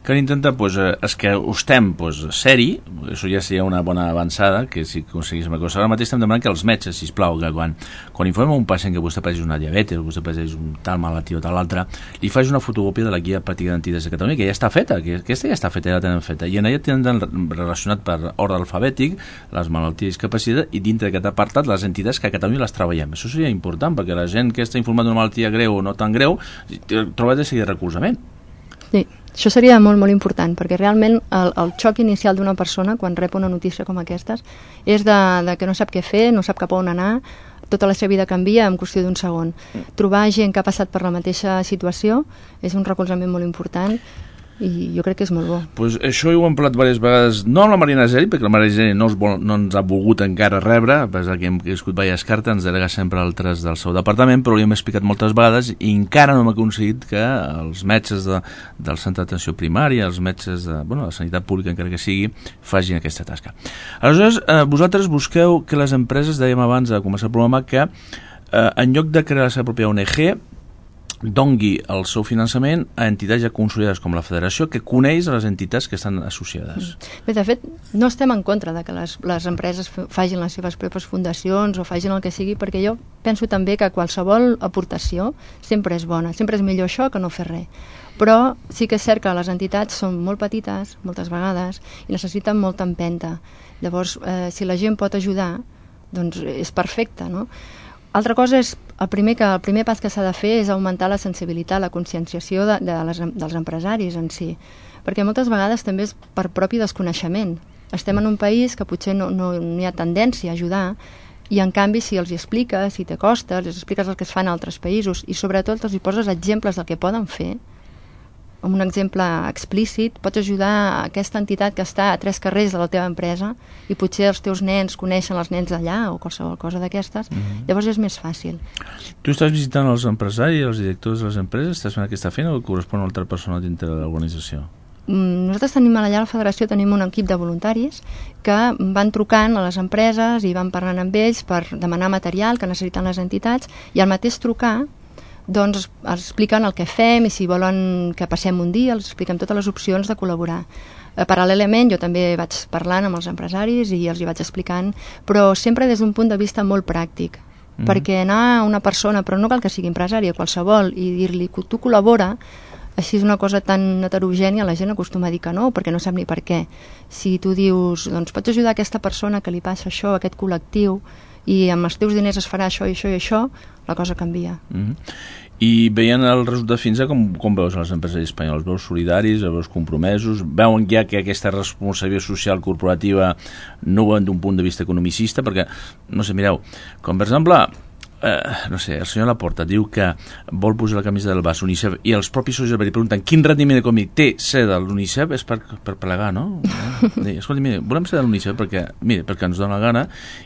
Que intenta, pues, és que ho estem pues, seri, això ja seria una bona avançada, que si aconseguíssim una cosa. Ara mateix estem demanant que els metges, sisplau, que quan, quan informem un pacient que vostè pateix una diabetes, vostè pateix un tal malaltia o tal altra, li faig una fotocòpia de la guia pràctica d'entitats de Catalunya, que ja està feta, que aquesta ja està feta, ja la tenen feta, i en ella tenen relacionat per ordre alfabètic les malalties i discapacitat, i dintre d'aquest apartat les entitats que a Catalunya les treballem. Això seria important, perquè la gent que està informat d'una malaltia greu o no tan greu troba de seguir recolzament. Sí, això seria molt, molt important, perquè realment el, el xoc inicial d'una persona quan rep una notícia com aquestes és de, de que no sap què fer, no sap cap a on anar, tota la seva vida canvia en qüestió d'un segon. Trobar gent que ha passat per la mateixa situació és un recolzament molt important i jo crec que és molt bo. Pues això ho hem parlat diverses vegades, no amb la Marina Geli, perquè la Marina Geli no, vol, no ens ha volgut encara rebre, a pesar que hem escut diverses cartes, ens delega sempre altres del seu departament, però li hem explicat moltes vegades i encara no hem aconseguit que els metges de, del centre d'atenció primària, els metges de, bueno, de la sanitat pública, encara que sigui, facin aquesta tasca. Aleshores, eh, vosaltres busqueu que les empreses, dèiem abans de començar el programa, que eh, en lloc de crear la seva pròpia O N G, dongui el seu finançament a entitats ja consolidades com la Federació, que coneix les entitats que estan associades. Bé, de fet, no estem en contra de que les, les empreses facin les seves pròpies fundacions o facin el que sigui, perquè jo penso també que qualsevol aportació sempre és bona, sempre és millor això que no fer res. Però sí que és cert que les entitats són molt petites, moltes vegades, i necessiten molta empenta. Llavors, eh, si la gent pot ajudar, doncs és perfecte, no? Altra cosa és, el primer, que, el primer pas que s'ha de fer és augmentar la sensibilitat, la conscienciació de, de les, dels empresaris en si, perquè moltes vegades també és per propi desconeixement. Estem en un país que potser no, no, no hi ha tendència a ajudar, i en canvi si els hi expliques, si t'acostes, els expliques el que es fa en altres països i sobretot els hi poses exemples del que poden fer, amb un exemple explícit, pots ajudar a aquesta entitat que està a tres carrers de la teva empresa i potser els teus nens coneixen els nens d'allà o qualsevol cosa d'aquestes, mm-hmm. Llavors és més fàcil. Tu estàs visitant els empresaris, els directors de les empreses, estàs fent aquesta feina o correspon a una altra persona dintre de l'organització? Nosaltres tenim allà a la Federació tenim un equip de voluntaris que van trucant a les empreses i van parlant amb ells per demanar material que necessiten les entitats i al mateix trucar doncs els expliquen el que fem i si volen que passem un dia els expliquem totes les opcions de col·laborar. Eh, paral·lelament jo també vaig parlant amb els empresaris i els hi vaig explicant, però sempre des d'un punt de vista molt pràctic, mm-hmm. perquè anar a una persona, però no cal que sigui empresària, qualsevol, i dir-li que tu col·labora, així és una cosa tan heterogènia, la gent acostuma a dir que no, perquè no sap ni per què. Si tu dius, doncs pots ajudar aquesta persona que li passa això, aquest col·lectiu, i amb els teus diners es farà això i això i això, la cosa canvia. Mm-hmm. I veient el resultat fins a com, com veus els empresaris espanyols? Veus solidaris, veus compromesos? Veuen ja que aquesta responsabilitat social corporativa no ho veuen d'un punt de vista economicista? Perquè, no sé, mireu, com per exemple... Eh, no sé, el senyor Laporta diu que vol posar la camisa del Barça UNICEF i els propis socis li pregunten quin rendiment econòmic té ser de l'UNICEF, és per, per plegar, no? Eh? Escolta, mira, volem ser de l'UNICEF perquè, mira, perquè ens dona la gana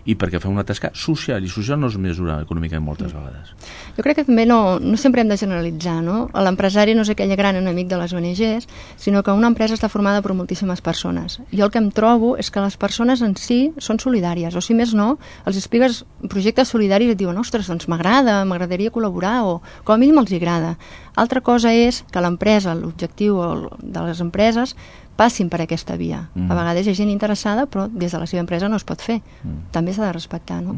i perquè fem una tasca social, i social no es mesura econòmica moltes vegades. Jo crec que també no, no sempre hem de generalitzar, no? L'empresari no és aquell gran enemic de les O N Ges, sinó que una empresa està formada per moltíssimes persones. Jo el que em trobo és que les persones en si són solidàries, o si més no, els expliques projectes solidaris i et diuen, ostres, doncs m'agrada, m'agradaria col·laborar, o com a mínim els agrada. Altra cosa és que l'empresa, l'objectiu de les empreses, passin per aquesta via. Mm. A vegades hi ha gent interessada, però des de la seva empresa no es pot fer. Mm. També s'ha de respectar, no?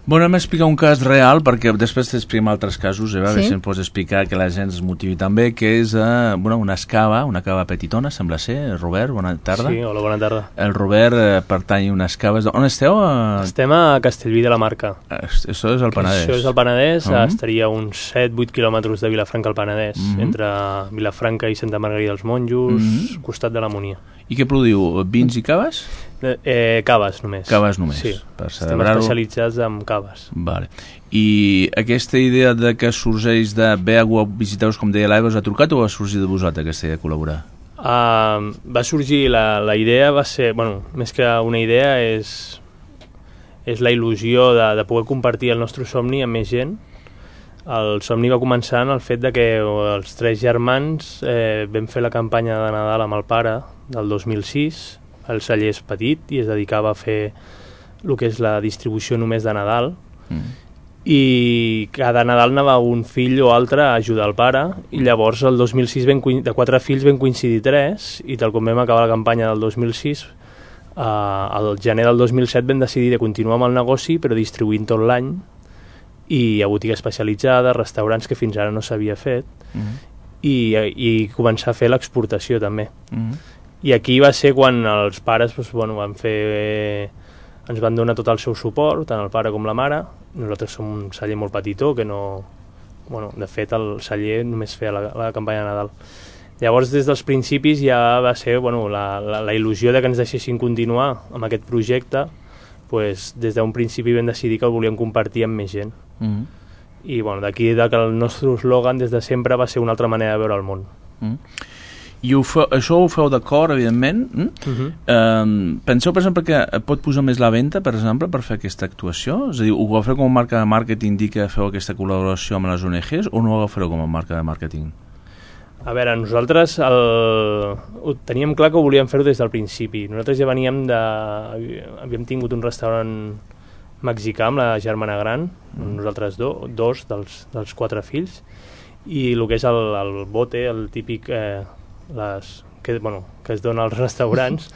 Bueno, hem explicat un cas real, perquè després t'expliquem altres casos, Eva, sí? Si em pots explicar que la gent es motivi també, que és eh, bueno, una escava, una cava petitona, sembla ser. Robert, bona tarda. Sí, hola, bona tarda. El Robert eh, pertany a unes caves... On esteu? Eh... Estem a Castellví de la Marca. Això és el Penedès. Això és el Penedès, uh -huh. estaria a uns set vuit quilòmetres de Vilafranca al Penedès, uh -huh. entre Vilafranca i Santa Margarida dels Monjos, uh -huh. costat de la Monia. I què produïu? Vins i caves? Eh, caves només. Caves només. Sí, per estem especialitzats en caves. Vale. I aquesta idea de que sorgeix de bé a visitar-vos, com deia l'Eva, us ha trucat o va sorgir de vosaltres aquesta idea de col·laborar? Uh, va sorgir, la, la idea va ser, bueno, més que una idea és, és la il·lusió de, de poder compartir el nostre somni amb més gent. El somni va començar en el fet de que els tres germans eh, vam fer la campanya de Nadal amb el pare del dos mil sis. El celler és petit i es dedicava a fer el que és la distribució només de Nadal. Mm. I cada Nadal anava un fill o altre a ajudar el pare, i llavors el dos mil sis ben, de quatre fills vam coincidir tres, i tal com vam acabar la campanya del dos mil sis, eh, al gener del dos mil set vam decidir de continuar amb el negoci però distribuint tot l'any, i hi ha botiga especialitzada, restaurants que fins ara no s'havia fet, mm. i, i començar a fer l'exportació també. Mm. I aquí va ser quan els pares doncs, bueno, van fer, ens van donar tot el seu suport, tant el pare com la mare. Nosaltres som un celler molt petitó, que no... Bueno, de fet, el celler només feia la, la campanya de Nadal. Llavors, des dels principis ja va ser bueno, la, la, la il·lusió de que ens deixessin continuar amb aquest projecte. Pues, des d'un principi vam decidir que el volíem compartir amb més gent. Mm-hmm. I bueno, d'aquí que el nostre eslògan des de sempre va ser una altra manera de veure el món. Mm-hmm. I ho feu, això ho feu d'acord, evidentment. Mm? Uh-huh. Um, penseu, per exemple, que pot posar més la venda, per exemple, per fer aquesta actuació? És a dir, ho agafeu com a marca de màrqueting, dir que feu aquesta col·laboració amb les O N Ges, o no ho agafareu com a marca de màrqueting? A veure, nosaltres el... ho teníem clar que ho volíem fer-ho des del principi. Nosaltres ja veníem de... havíem tingut un restaurant mexicà amb la germana gran, mm. nosaltres do, dos dels, dels quatre fills, i el que és el, el bote, el típic eh, les, que, bueno, que es dona als restaurants,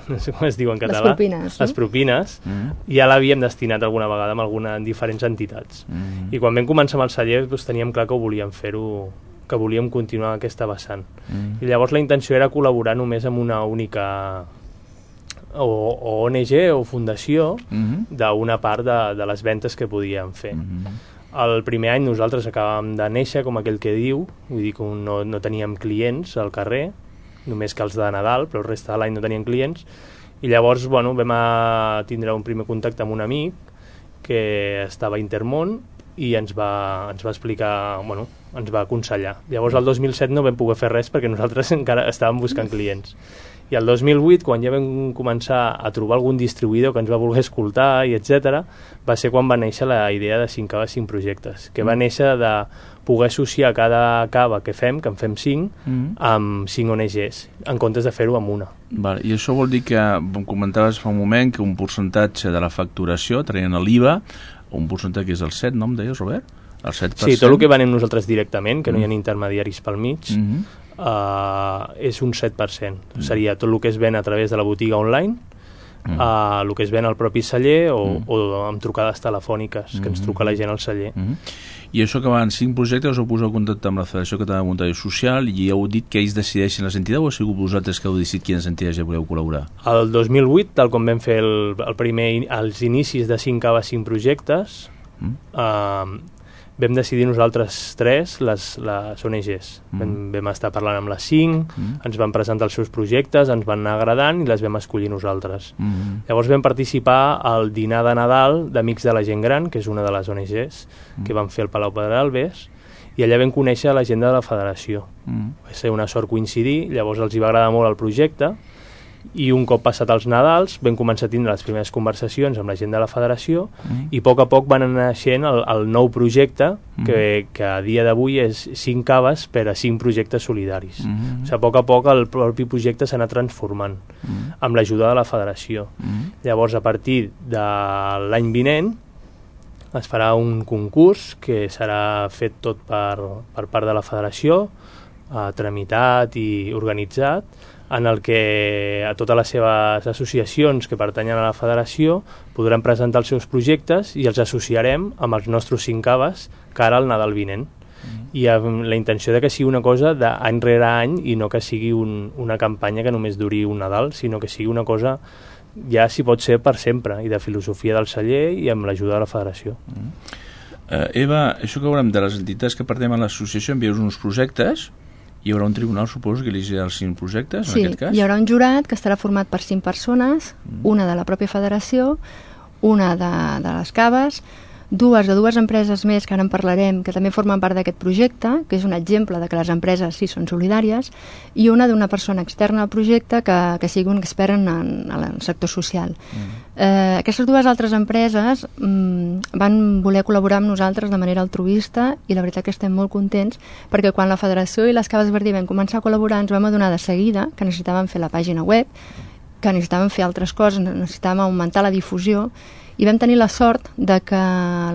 no sé com es diu en català, les propines, les no? propines, Mm. ja l'havíem destinat alguna vegada amb alguna, en diferents entitats. Mm. I quan vam començar amb el celler doncs, teníem clar que ho volíem fer-ho, que volíem continuar aquesta vessant. Mm. I llavors la intenció era col·laborar només amb una única o, o O N G o fundació Mm. d'una part de, de les ventes que podíem fer. Mm. El primer any nosaltres acabàvem de néixer, com aquell que diu, vull dir que no, no teníem clients al carrer, només que els de Nadal, però el reste de l'any no tenien clients, i llavors bueno, vam a tindre un primer contacte amb un amic que estava a Intermón i ens va, ens va explicar, bueno, ens va aconsellar. Llavors el dos mil set no vam poder fer res perquè nosaltres encara estàvem buscant clients. I el dos mil vuit, quan ja vam començar a trobar algun distribuïdor que ens va voler escoltar i etcètera, va ser quan va néixer la idea de cinc caves, cinc projectes, que va néixer de poder associar cada cava que fem, que en fem cinc, Mm. amb cinc O N Gs, en comptes de fer-ho amb una. Vale. I això vol dir que, em comentaves fa un moment, que un percentatge de la facturació, traient l'I V A, un percentatge que és el set, no em deies, Robert? El set per cent? Sí, tot el que venem nosaltres directament, que no hi ha intermediaris pel mig, Mm-hmm. uh, és un set per cent. Seria tot el que es ven a través de la botiga online, Mm. uh, el que es ven al propi celler o, Mm. o amb trucades telefòniques, que ens truca la gent al celler. Mm-hmm. I això que van cinc projectes, us heu posat en contacte amb la Federació Catalana de Muntatge Social i heu dit que ells decideixen les entitats o ha sigut vosaltres que heu decidit quines entitats ja voleu col·laborar? El dos mil vuit, tal com vam fer el, el primer, els inicis de cinc caves, cinc projectes, Mm. uh, vam decidir nosaltres tres les, les O N Gs. Mm. Vam, vam estar parlant amb les cinc, Mm. ens van presentar els seus projectes, ens van anar agradant i les vam escollir nosaltres. Mm. Llavors vam participar al dinar de Nadal d'Amics de la Gent Gran, que és una de les O N Gs que van fer al Palau Pedralbes, i allà vam conèixer la gent de la federació. Mm. Va ser una sort coincidir, llavors els hi va agradar molt el projecte, i un cop passat els Nadals vam començar a tindre les primeres conversacions amb la gent de la federació Mm. i a poc a poc van anar naixent el, el nou projecte que, que a dia d'avui és cinc caves per a cinc projectes solidaris. Mm. O sigui, a poc a poc el propi projecte s'ha anat transformant Mm. amb l'ajuda de la federació. Mm. Llavors, a partir de l'any vinent es farà un concurs que serà fet tot per, per part de la federació, eh, tramitat i organitzat, en el que a totes les seves associacions que pertanyen a la federació podran presentar els seus projectes i els associarem amb els nostres cinc caves cara al Nadal vinent. I amb la intenció de que sigui una cosa d'any rere any i no que sigui un, una campanya que només duri un Nadal, sinó que sigui una cosa ja si pot ser per sempre i de filosofia del celler i amb l'ajuda de la federació. Uh, Eva, això que veurem de les entitats que pertanyen a l'associació, envieu uns projectes, hi haurà un tribunal, suposo, que elegirà els cinc projectes, Sí, en aquest cas? hi haurà un jurat que estarà format per cinc persones, una de la pròpia federació, una de, de les caves, dues de dues empreses més que ara en parlarem, que també formen part d'aquest projecte, que és un exemple de que les empreses sí són solidàries, i una d'una persona externa al projecte que, que sigui un expert en, en, en el sector social. Mm. Eh, aquestes dues altres empreses mm, van voler col·laborar amb nosaltres de manera altruista i la veritat que estem molt contents perquè quan la Federació i les Caves Verdí vam començar a col·laborar ens vam adonar de seguida que necessitàvem fer la pàgina web, que necessitàvem fer altres coses, necessitàvem augmentar la difusió i vam tenir la sort de que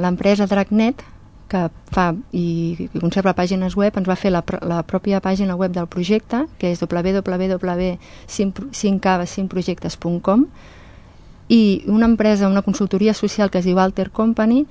l'empresa Dragnet, que fa i, i conserva pàgines web, ens va fer la, la pròpia pàgina web del projecte, que és w w w punt cinc caves cinc projectes punt com, i una empresa, una consultoria social que es diu Alter Company,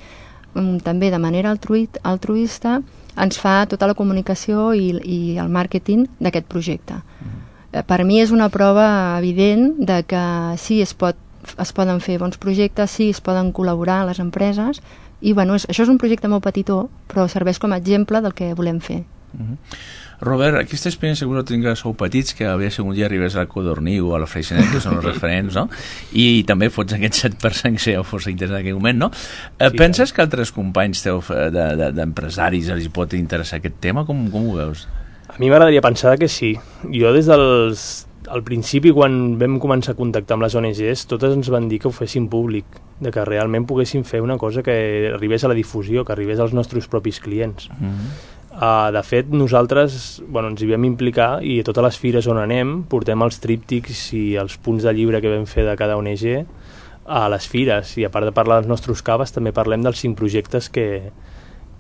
també de manera altruit, altruista, ens fa tota la comunicació i, i el màrqueting d'aquest projecte. Mm. Per mi és una prova evident de que sí es pot es poden fer bons projectes, sí, es poden col·laborar les empreses i bueno, és, això és un projecte molt petitó però serveix com a exemple del que volem fer. Uh-huh. Robert, aquesta experiència que vosaltres tingueu sou petits, que a veure si un dia arribes al Codorní o a la Freixenet, que són els referents, no? I també fots aquest set per cent que si fos interessant en aquell moment, no? Eh, Sí, penses que altres companys teus d'empresaris de, de, els pot interessar aquest tema? Com, com ho veus? A mi m'agradaria pensar que sí. Jo des dels al principi, quan vam començar a contactar amb les O N Gs, totes ens van dir que ho fessin públic, de que realment poguessin fer una cosa que arribés a la difusió, que arribés als nostres propis clients. Mm-hmm. Uh, de fet, nosaltres bueno, ens hi vam implicar i a totes les fires on anem portem els tríptics i els punts de llibre que vam fer de cada O N G a les fires, i a part de parlar dels nostres caves també parlem dels cinc projectes que,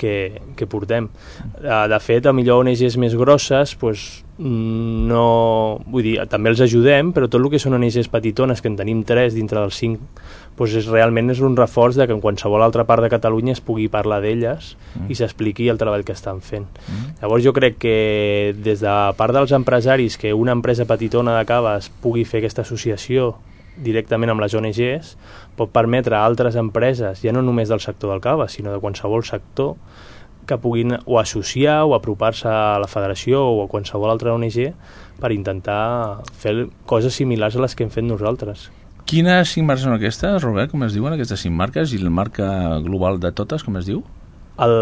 que, que portem. De fet, a millor O N Ges més grosses, doncs, no... Vull dir, també els ajudem, però tot el que són O N Ges petitones, que en tenim tres dintre dels cinc, doncs és, realment és un reforç de que en qualsevol altra part de Catalunya es pugui parlar d'elles mm. i s'expliqui el treball que estan fent. Mm. Llavors jo crec que des de part dels empresaris, que una empresa petitona de cava es pugui fer aquesta associació directament amb les O N Ges, pot permetre a altres empreses, ja no només del sector del cava, sinó de qualsevol sector, que puguin o associar o apropar-se a la federació o a qualsevol altra O N G per intentar fer coses similars a les que hem fet nosaltres. Quines cinc marques són aquestes, Robert, com es diuen aquestes cinc marques, i la marca global de totes, com es diu? El,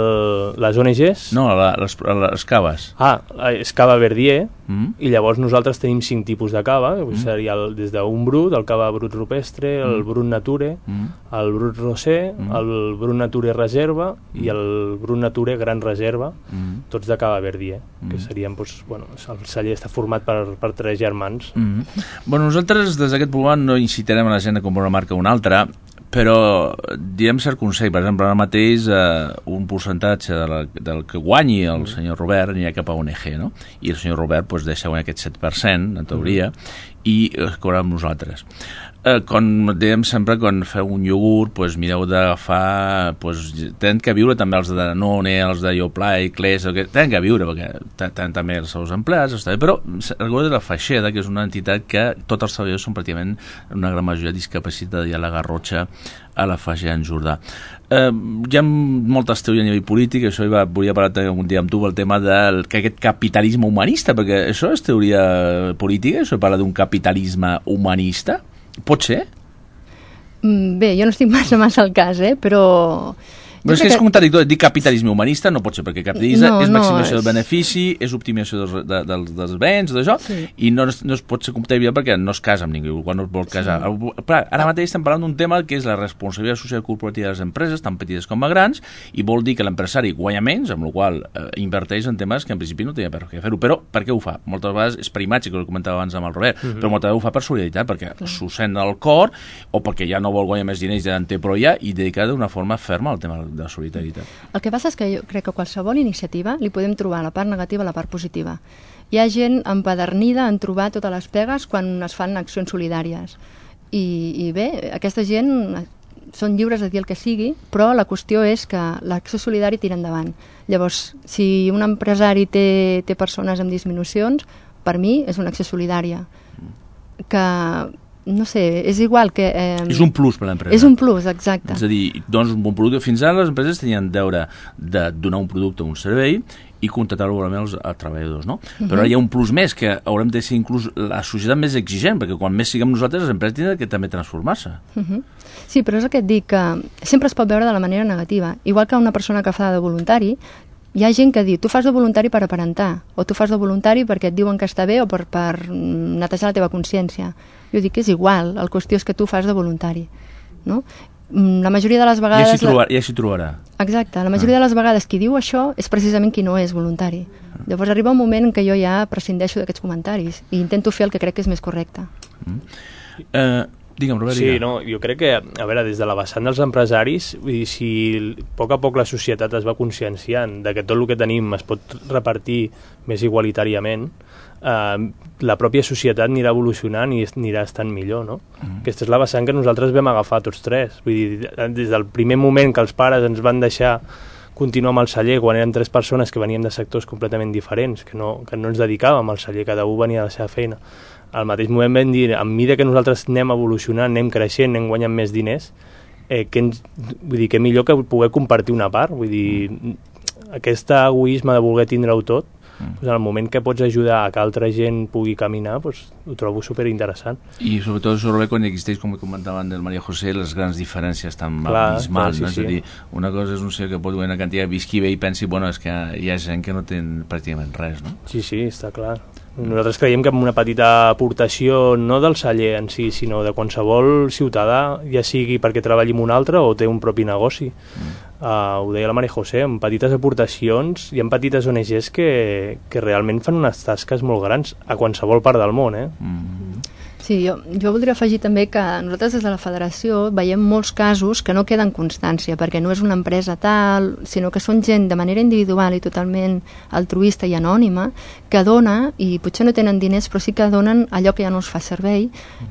les O N Ges? No, la, les, les caves. Ah, és cava Verdier, mm. i llavors nosaltres tenim cinc tipus de cava, que mm. seria el, des d'un brut, el cava brut rupestre, el mm. brut nature, mm. el brut rosé, mm. el brut nature reserva mm. i el brut nature gran reserva, mm. tots de cava Verdier, mm. que serien, doncs, bueno, el celler està format per, per tres germans. Mm. Bueno, nosaltres des d'aquest programa no incitarem a la gent a comprar una marca o una altra, però direm cert consell. Per exemple, ara mateix eh, un percentatge de la, del que guanyi el mm. senyor Robert anirà cap a O N G, no? I el senyor Robert pues, deixa guanyar aquest set per cent, en teoria, mm. i es cobrarà amb nosaltres. Eh, com dèiem sempre, quan feu un iogurt, pues, mireu d'agafar, pues, tenen que viure també els de Danone, els de Yoplait, Clés, tenen que viure, perquè tenen també els seus empleats, està bé, però recordeu de la Faixeda, que és una entitat que tots els treballadors són pràcticament una gran majoria discapacitada, i a la Garrotxa, a la Faixeda en Jordà. Eh, hi ha moltes teories a nivell polític, això hi va, volia parlar un dia amb tu, el tema del que aquest capitalisme humanista, perquè això és teoria política, això parla d'un capitalisme humanista. Pot ser? Bé, jo no estic massa massa al cas, eh? però... Però és que és contradictori, dir capitalisme humanista no pot ser, perquè capitalisme no, és maximizació no, és... del benefici, és optimització dels, de, dels, dels béns, d'això, sí. i no, no es pot ser comptable perquè no es casa amb ningú, quan no es vol casar. Sí. Però ara mateix estem parlant d'un tema que és la responsabilitat social corporativa de les empreses, tan petites com a grans, i vol dir que l'empresari guanya menys, amb la qual cosa eh, inverteix en temes que en principi no tenia per què fer-ho. Però per què ho fa? Moltes vegades és per imatge, que ho comentava abans amb el Robert, mm-hmm. però moltes vegades ho fa per solidaritat, perquè mm. s'ho sent al cor, o perquè ja no vol guanyar més diners, ja en té prou ja, i dedicar d'una forma ferma al tema de solidaritat. El que passa és que jo crec que qualsevol iniciativa li podem trobar la part negativa i la part positiva. Hi ha gent empadernida en trobar totes les pegues quan es fan accions solidàries. I, i bé, aquesta gent són lliures de dir el que sigui, però la qüestió és que l'acció solidària tira endavant. Llavors, si un empresari té, té persones amb disminucions, per mi és una acció solidària. Que... no sé, és igual que... Eh, és un plus per a l'empresa. És un plus, exacte. És a dir, dones un bon producte. Fins ara les empreses tenien deure de donar un producte o un servei i contractar-lo als, als treballadors, no? Uh-huh. Però ara hi ha un plus més, que haurem de ser inclús la societat més exigent, perquè quan més siguem nosaltres, les empreses tenen que també transformar-se. Uh-huh. Sí, però és el que et dic, que sempre es pot veure de la manera negativa. Igual que una persona que fa de voluntari, hi ha gent que diu, tu fas de voluntari per aparentar, o tu fas de voluntari perquè et diuen que està bé o per, per netejar la teva consciència. Jo dic que és igual, la qüestió és que tu fas de voluntari, no? La majoria de les vegades... Ja s'hi trobar, ja s'hi trobarà. Exacte, la majoria ah. de les vegades qui diu això és precisament qui no és voluntari. Ah. Llavors arriba un moment en què jo ja prescindeixo d'aquests comentaris i intento fer el que crec que és més correcte. Mm. Eh... Digue'm, Robert. Sí, no, jo crec que, a veure, des de la vessant dels empresaris, vull dir, si a poc a poc la societat es va conscienciant de que tot el que tenim es pot repartir més igualitàriament, eh, la pròpia societat anirà evolucionant i anirà estant millor, no? Mm. Aquesta és la vessant que nosaltres vam agafar tots tres. Vull dir, des del primer moment que els pares ens van deixar continuar amb el celler, quan eren tres persones que veníem de sectors completament diferents, que no, que no ens dedicàvem al celler, cada un venia a la seva feina. Al mateix moment vam dir, a mesura que nosaltres anem evolucionant, anem creixent, anem guanyant més diners, eh, que ens, vull dir, que millor que poder compartir una part. Vull dir, mm. aquest egoisme de voler tindre-ho tot, mm. doncs, en el moment que pots ajudar a que altra gent pugui caminar, doncs, ho trobo superinteressant. I sobretot, Robert, quan existeix, com comentaven del Maria José, les grans diferències tan abismals. Sí, no? Sí. És a dir, una cosa és un senyor que pot guanyar una quantitat, visqui bé i pensi, bueno, és que hi ha gent que no té pràcticament res, no? Sí, sí, està clar. Nosaltres creiem que amb una petita aportació, no del celler en si, sinó de qualsevol ciutadà, ja sigui perquè treballi en un altre o té un propi negoci. Mm. Uh, ho deia la Maria José, amb petites aportacions hi ha petites O N Ges que, que realment fan unes tasques molt grans a qualsevol part del món, eh? Mm. Sí, jo, jo voldria afegir també que nosaltres des de la federació veiem molts casos que no queden constància, perquè no és una empresa tal, sinó que són gent de manera individual i totalment altruista i anònima, que dona, i potser no tenen diners, però sí que donen allò que ja no es fa servei,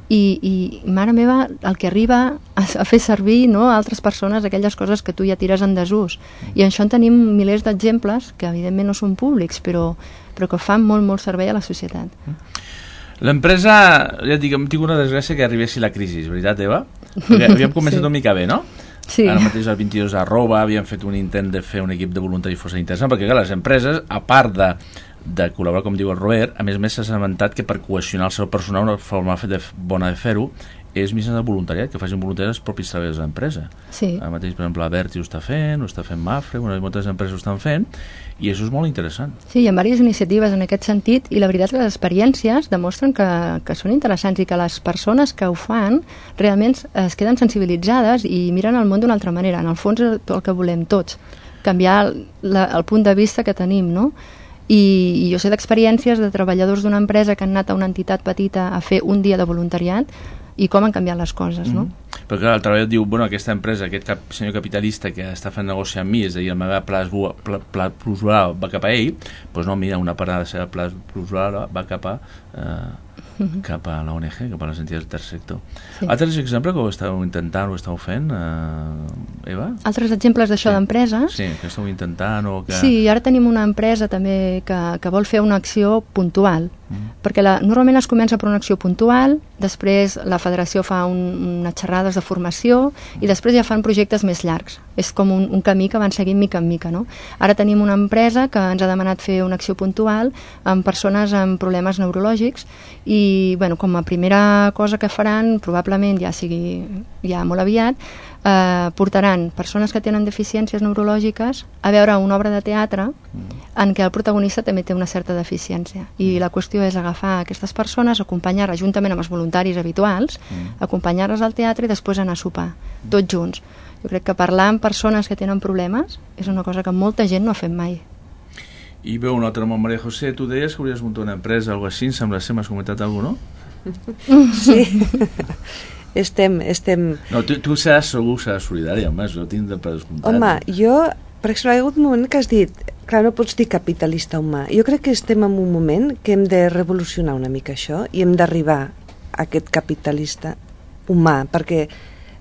i, i mare meva, el que arriba a, a fer servir, no, a altres persones aquelles coses que tu ja tires en desús. I això en tenim milers d'exemples, que evidentment no són públics, però, però que fan molt, molt servei a la societat. L'empresa, ja et dic, hem tingut una desgràcia que arribessi la crisi, veritat, Eva? Perquè havíem començat sí. una mica bé, no? Sí. Ara mateix al vint-i-dos arroba havíem fet un intent de fer un equip de voluntaris força interessant, perquè clar, les empreses, a part de, de col·laborar, com diu el Robert, a més a més s'ha assabentat que per cohesionar el seu personal una forma de, bona de fer-ho és mitjançant el voluntariat, que facin voluntariat els propis treballadors de l'empresa. Sí. Ara mateix, per exemple, Berti ho està fent, ho està fent Mafre, bueno, moltes empreses ho estan fent, i això és molt interessant. Sí, hi ha diverses iniciatives en aquest sentit, i la veritat és que les experiències demostren que, que són interessants i que les persones que ho fan realment es queden sensibilitzades i miren el món d'una altra manera. En el fons és el que volem tots, canviar la, el punt de vista que tenim, no? I, i jo sé d'experiències de treballadors d'una empresa que han anat a una entitat petita a fer un dia de voluntariat i com han canviat les coses, no? Mm. Però clar, el treballador diu, bueno, aquesta empresa, aquest cap, senyor capitalista que està fent negoci amb mi, és a dir, la meva pla plusvaluada va cap a ell, doncs no, mira, una part de la seva pla plusvaluada va cap a eh, cap a la O N G, cap a les entitats del tercer sector. Sí. Altres exemples que ho estàu intentant o ho estàu fent, eh, Eva? Altres exemples d'això sí. d'empreses? Sí, que estàu intentant o que... Sí, ara tenim una empresa també que, que vol fer una acció puntual, mm. perquè la, normalment es comença per una acció puntual, després la federació fa un, unes xerrades de formació i després ja fan projectes més llargs. És com un, un camí que van seguint mica en mica, no? Ara tenim una empresa que ens ha demanat fer una acció puntual amb persones amb problemes neurològics i, bueno, com a primera cosa que faran, probablement ja sigui ja molt aviat, eh, portaran persones que tenen deficiències neurològiques a veure una obra de teatre en què el protagonista també té una certa deficiència. I la qüestió és agafar aquestes persones, acompanyar-les juntament amb els voluntaris habituals, acompanyar-les al teatre i després anar a sopar, tots junts. Jo crec que parlar amb persones que tenen problemes és una cosa que molta gent no ha fet mai. I veu un altre nom, Maria José, tu deies que hauries muntat una empresa o alguna cosa així, em sembla ser, m'has comentat alguna cosa, no? Sí, estem, estem... No, tu, tu seràs segur, seràs solidària, home, jo tinc de predescomptat. Home, jo, per exemple, hi ha hagut un moment que has dit, clar, no pots dir capitalista humà. Jo crec que estem en un moment que hem de revolucionar una mica això i hem d'arribar a aquest capitalista humà, perquè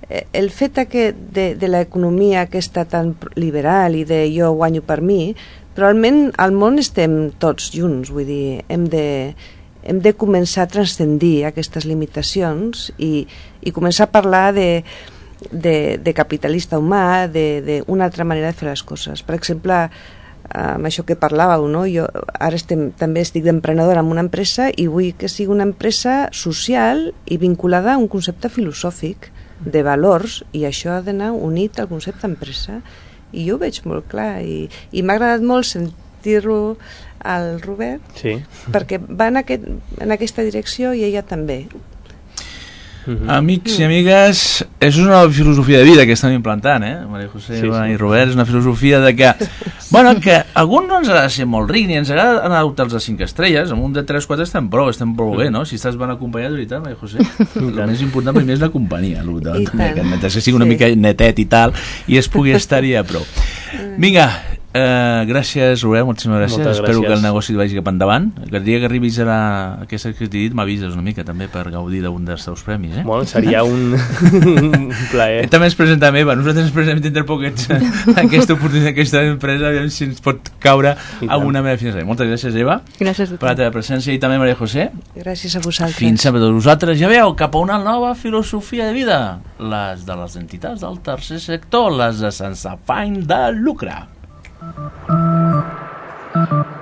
el fet aquest de, de l'economia aquesta tan liberal i de jo guanyo per mi, probablement al món estem tots junts, vull dir, hem de, hem de començar a transcendir aquestes limitacions i, i començar a parlar de, de, de capitalista humà, d'una altra manera de fer les coses. Per exemple, amb això que parlàveu, no? Jo ara estem, també estic d'emprenedora en una empresa i vull que sigui una empresa social i vinculada a un concepte filosòfic de valors, i això ha d'anar unit al concepte empresa, i jo ho veig molt clar, i, i m'ha agradat molt sentir-lo al Robert, sí. perquè va en, aquest, en aquesta direcció i ella també. Mm-hmm. Amics i amigues, és una filosofia de vida que estan implantant, eh? Maria José sí, sí. i Robert, és una filosofia de que, bueno, que a algun no ens ha de ser molt ric, ni ens agrada anar a hotels de cinc estrelles, amb un de tres quatre estem prou, estem prou bé, no? Si estàs ben acompanyat, de veritat, Maria José, el més important primer és la companyia, que sigui una sí. mica netet i tal, i es pugui estar-hi a prou. Vinga, Uh, gràcies, Robert, moltíssimes gràcies. Moltes Espero gràcies. que el negoci et vagi cap endavant. El dia que arribis a la... aquesta que t'he dit m'avises una mica també per gaudir d'un dels teus premis, eh? Bueno, seria un, un plaer. També ens presenta Eva, nosaltres ens presentem dintre poquets aquesta oportunitat, aquesta empresa, aviam si ens pot caure alguna meva finançada. Moltes gràcies, Eva, gràcies per la teva presència, i també Maria José. Gràcies a vosaltres. Fins sempre tots vosaltres. Ja veieu, cap a una nova filosofia de vida, les de les entitats del tercer sector, les de sense afany de lucre. Thank you.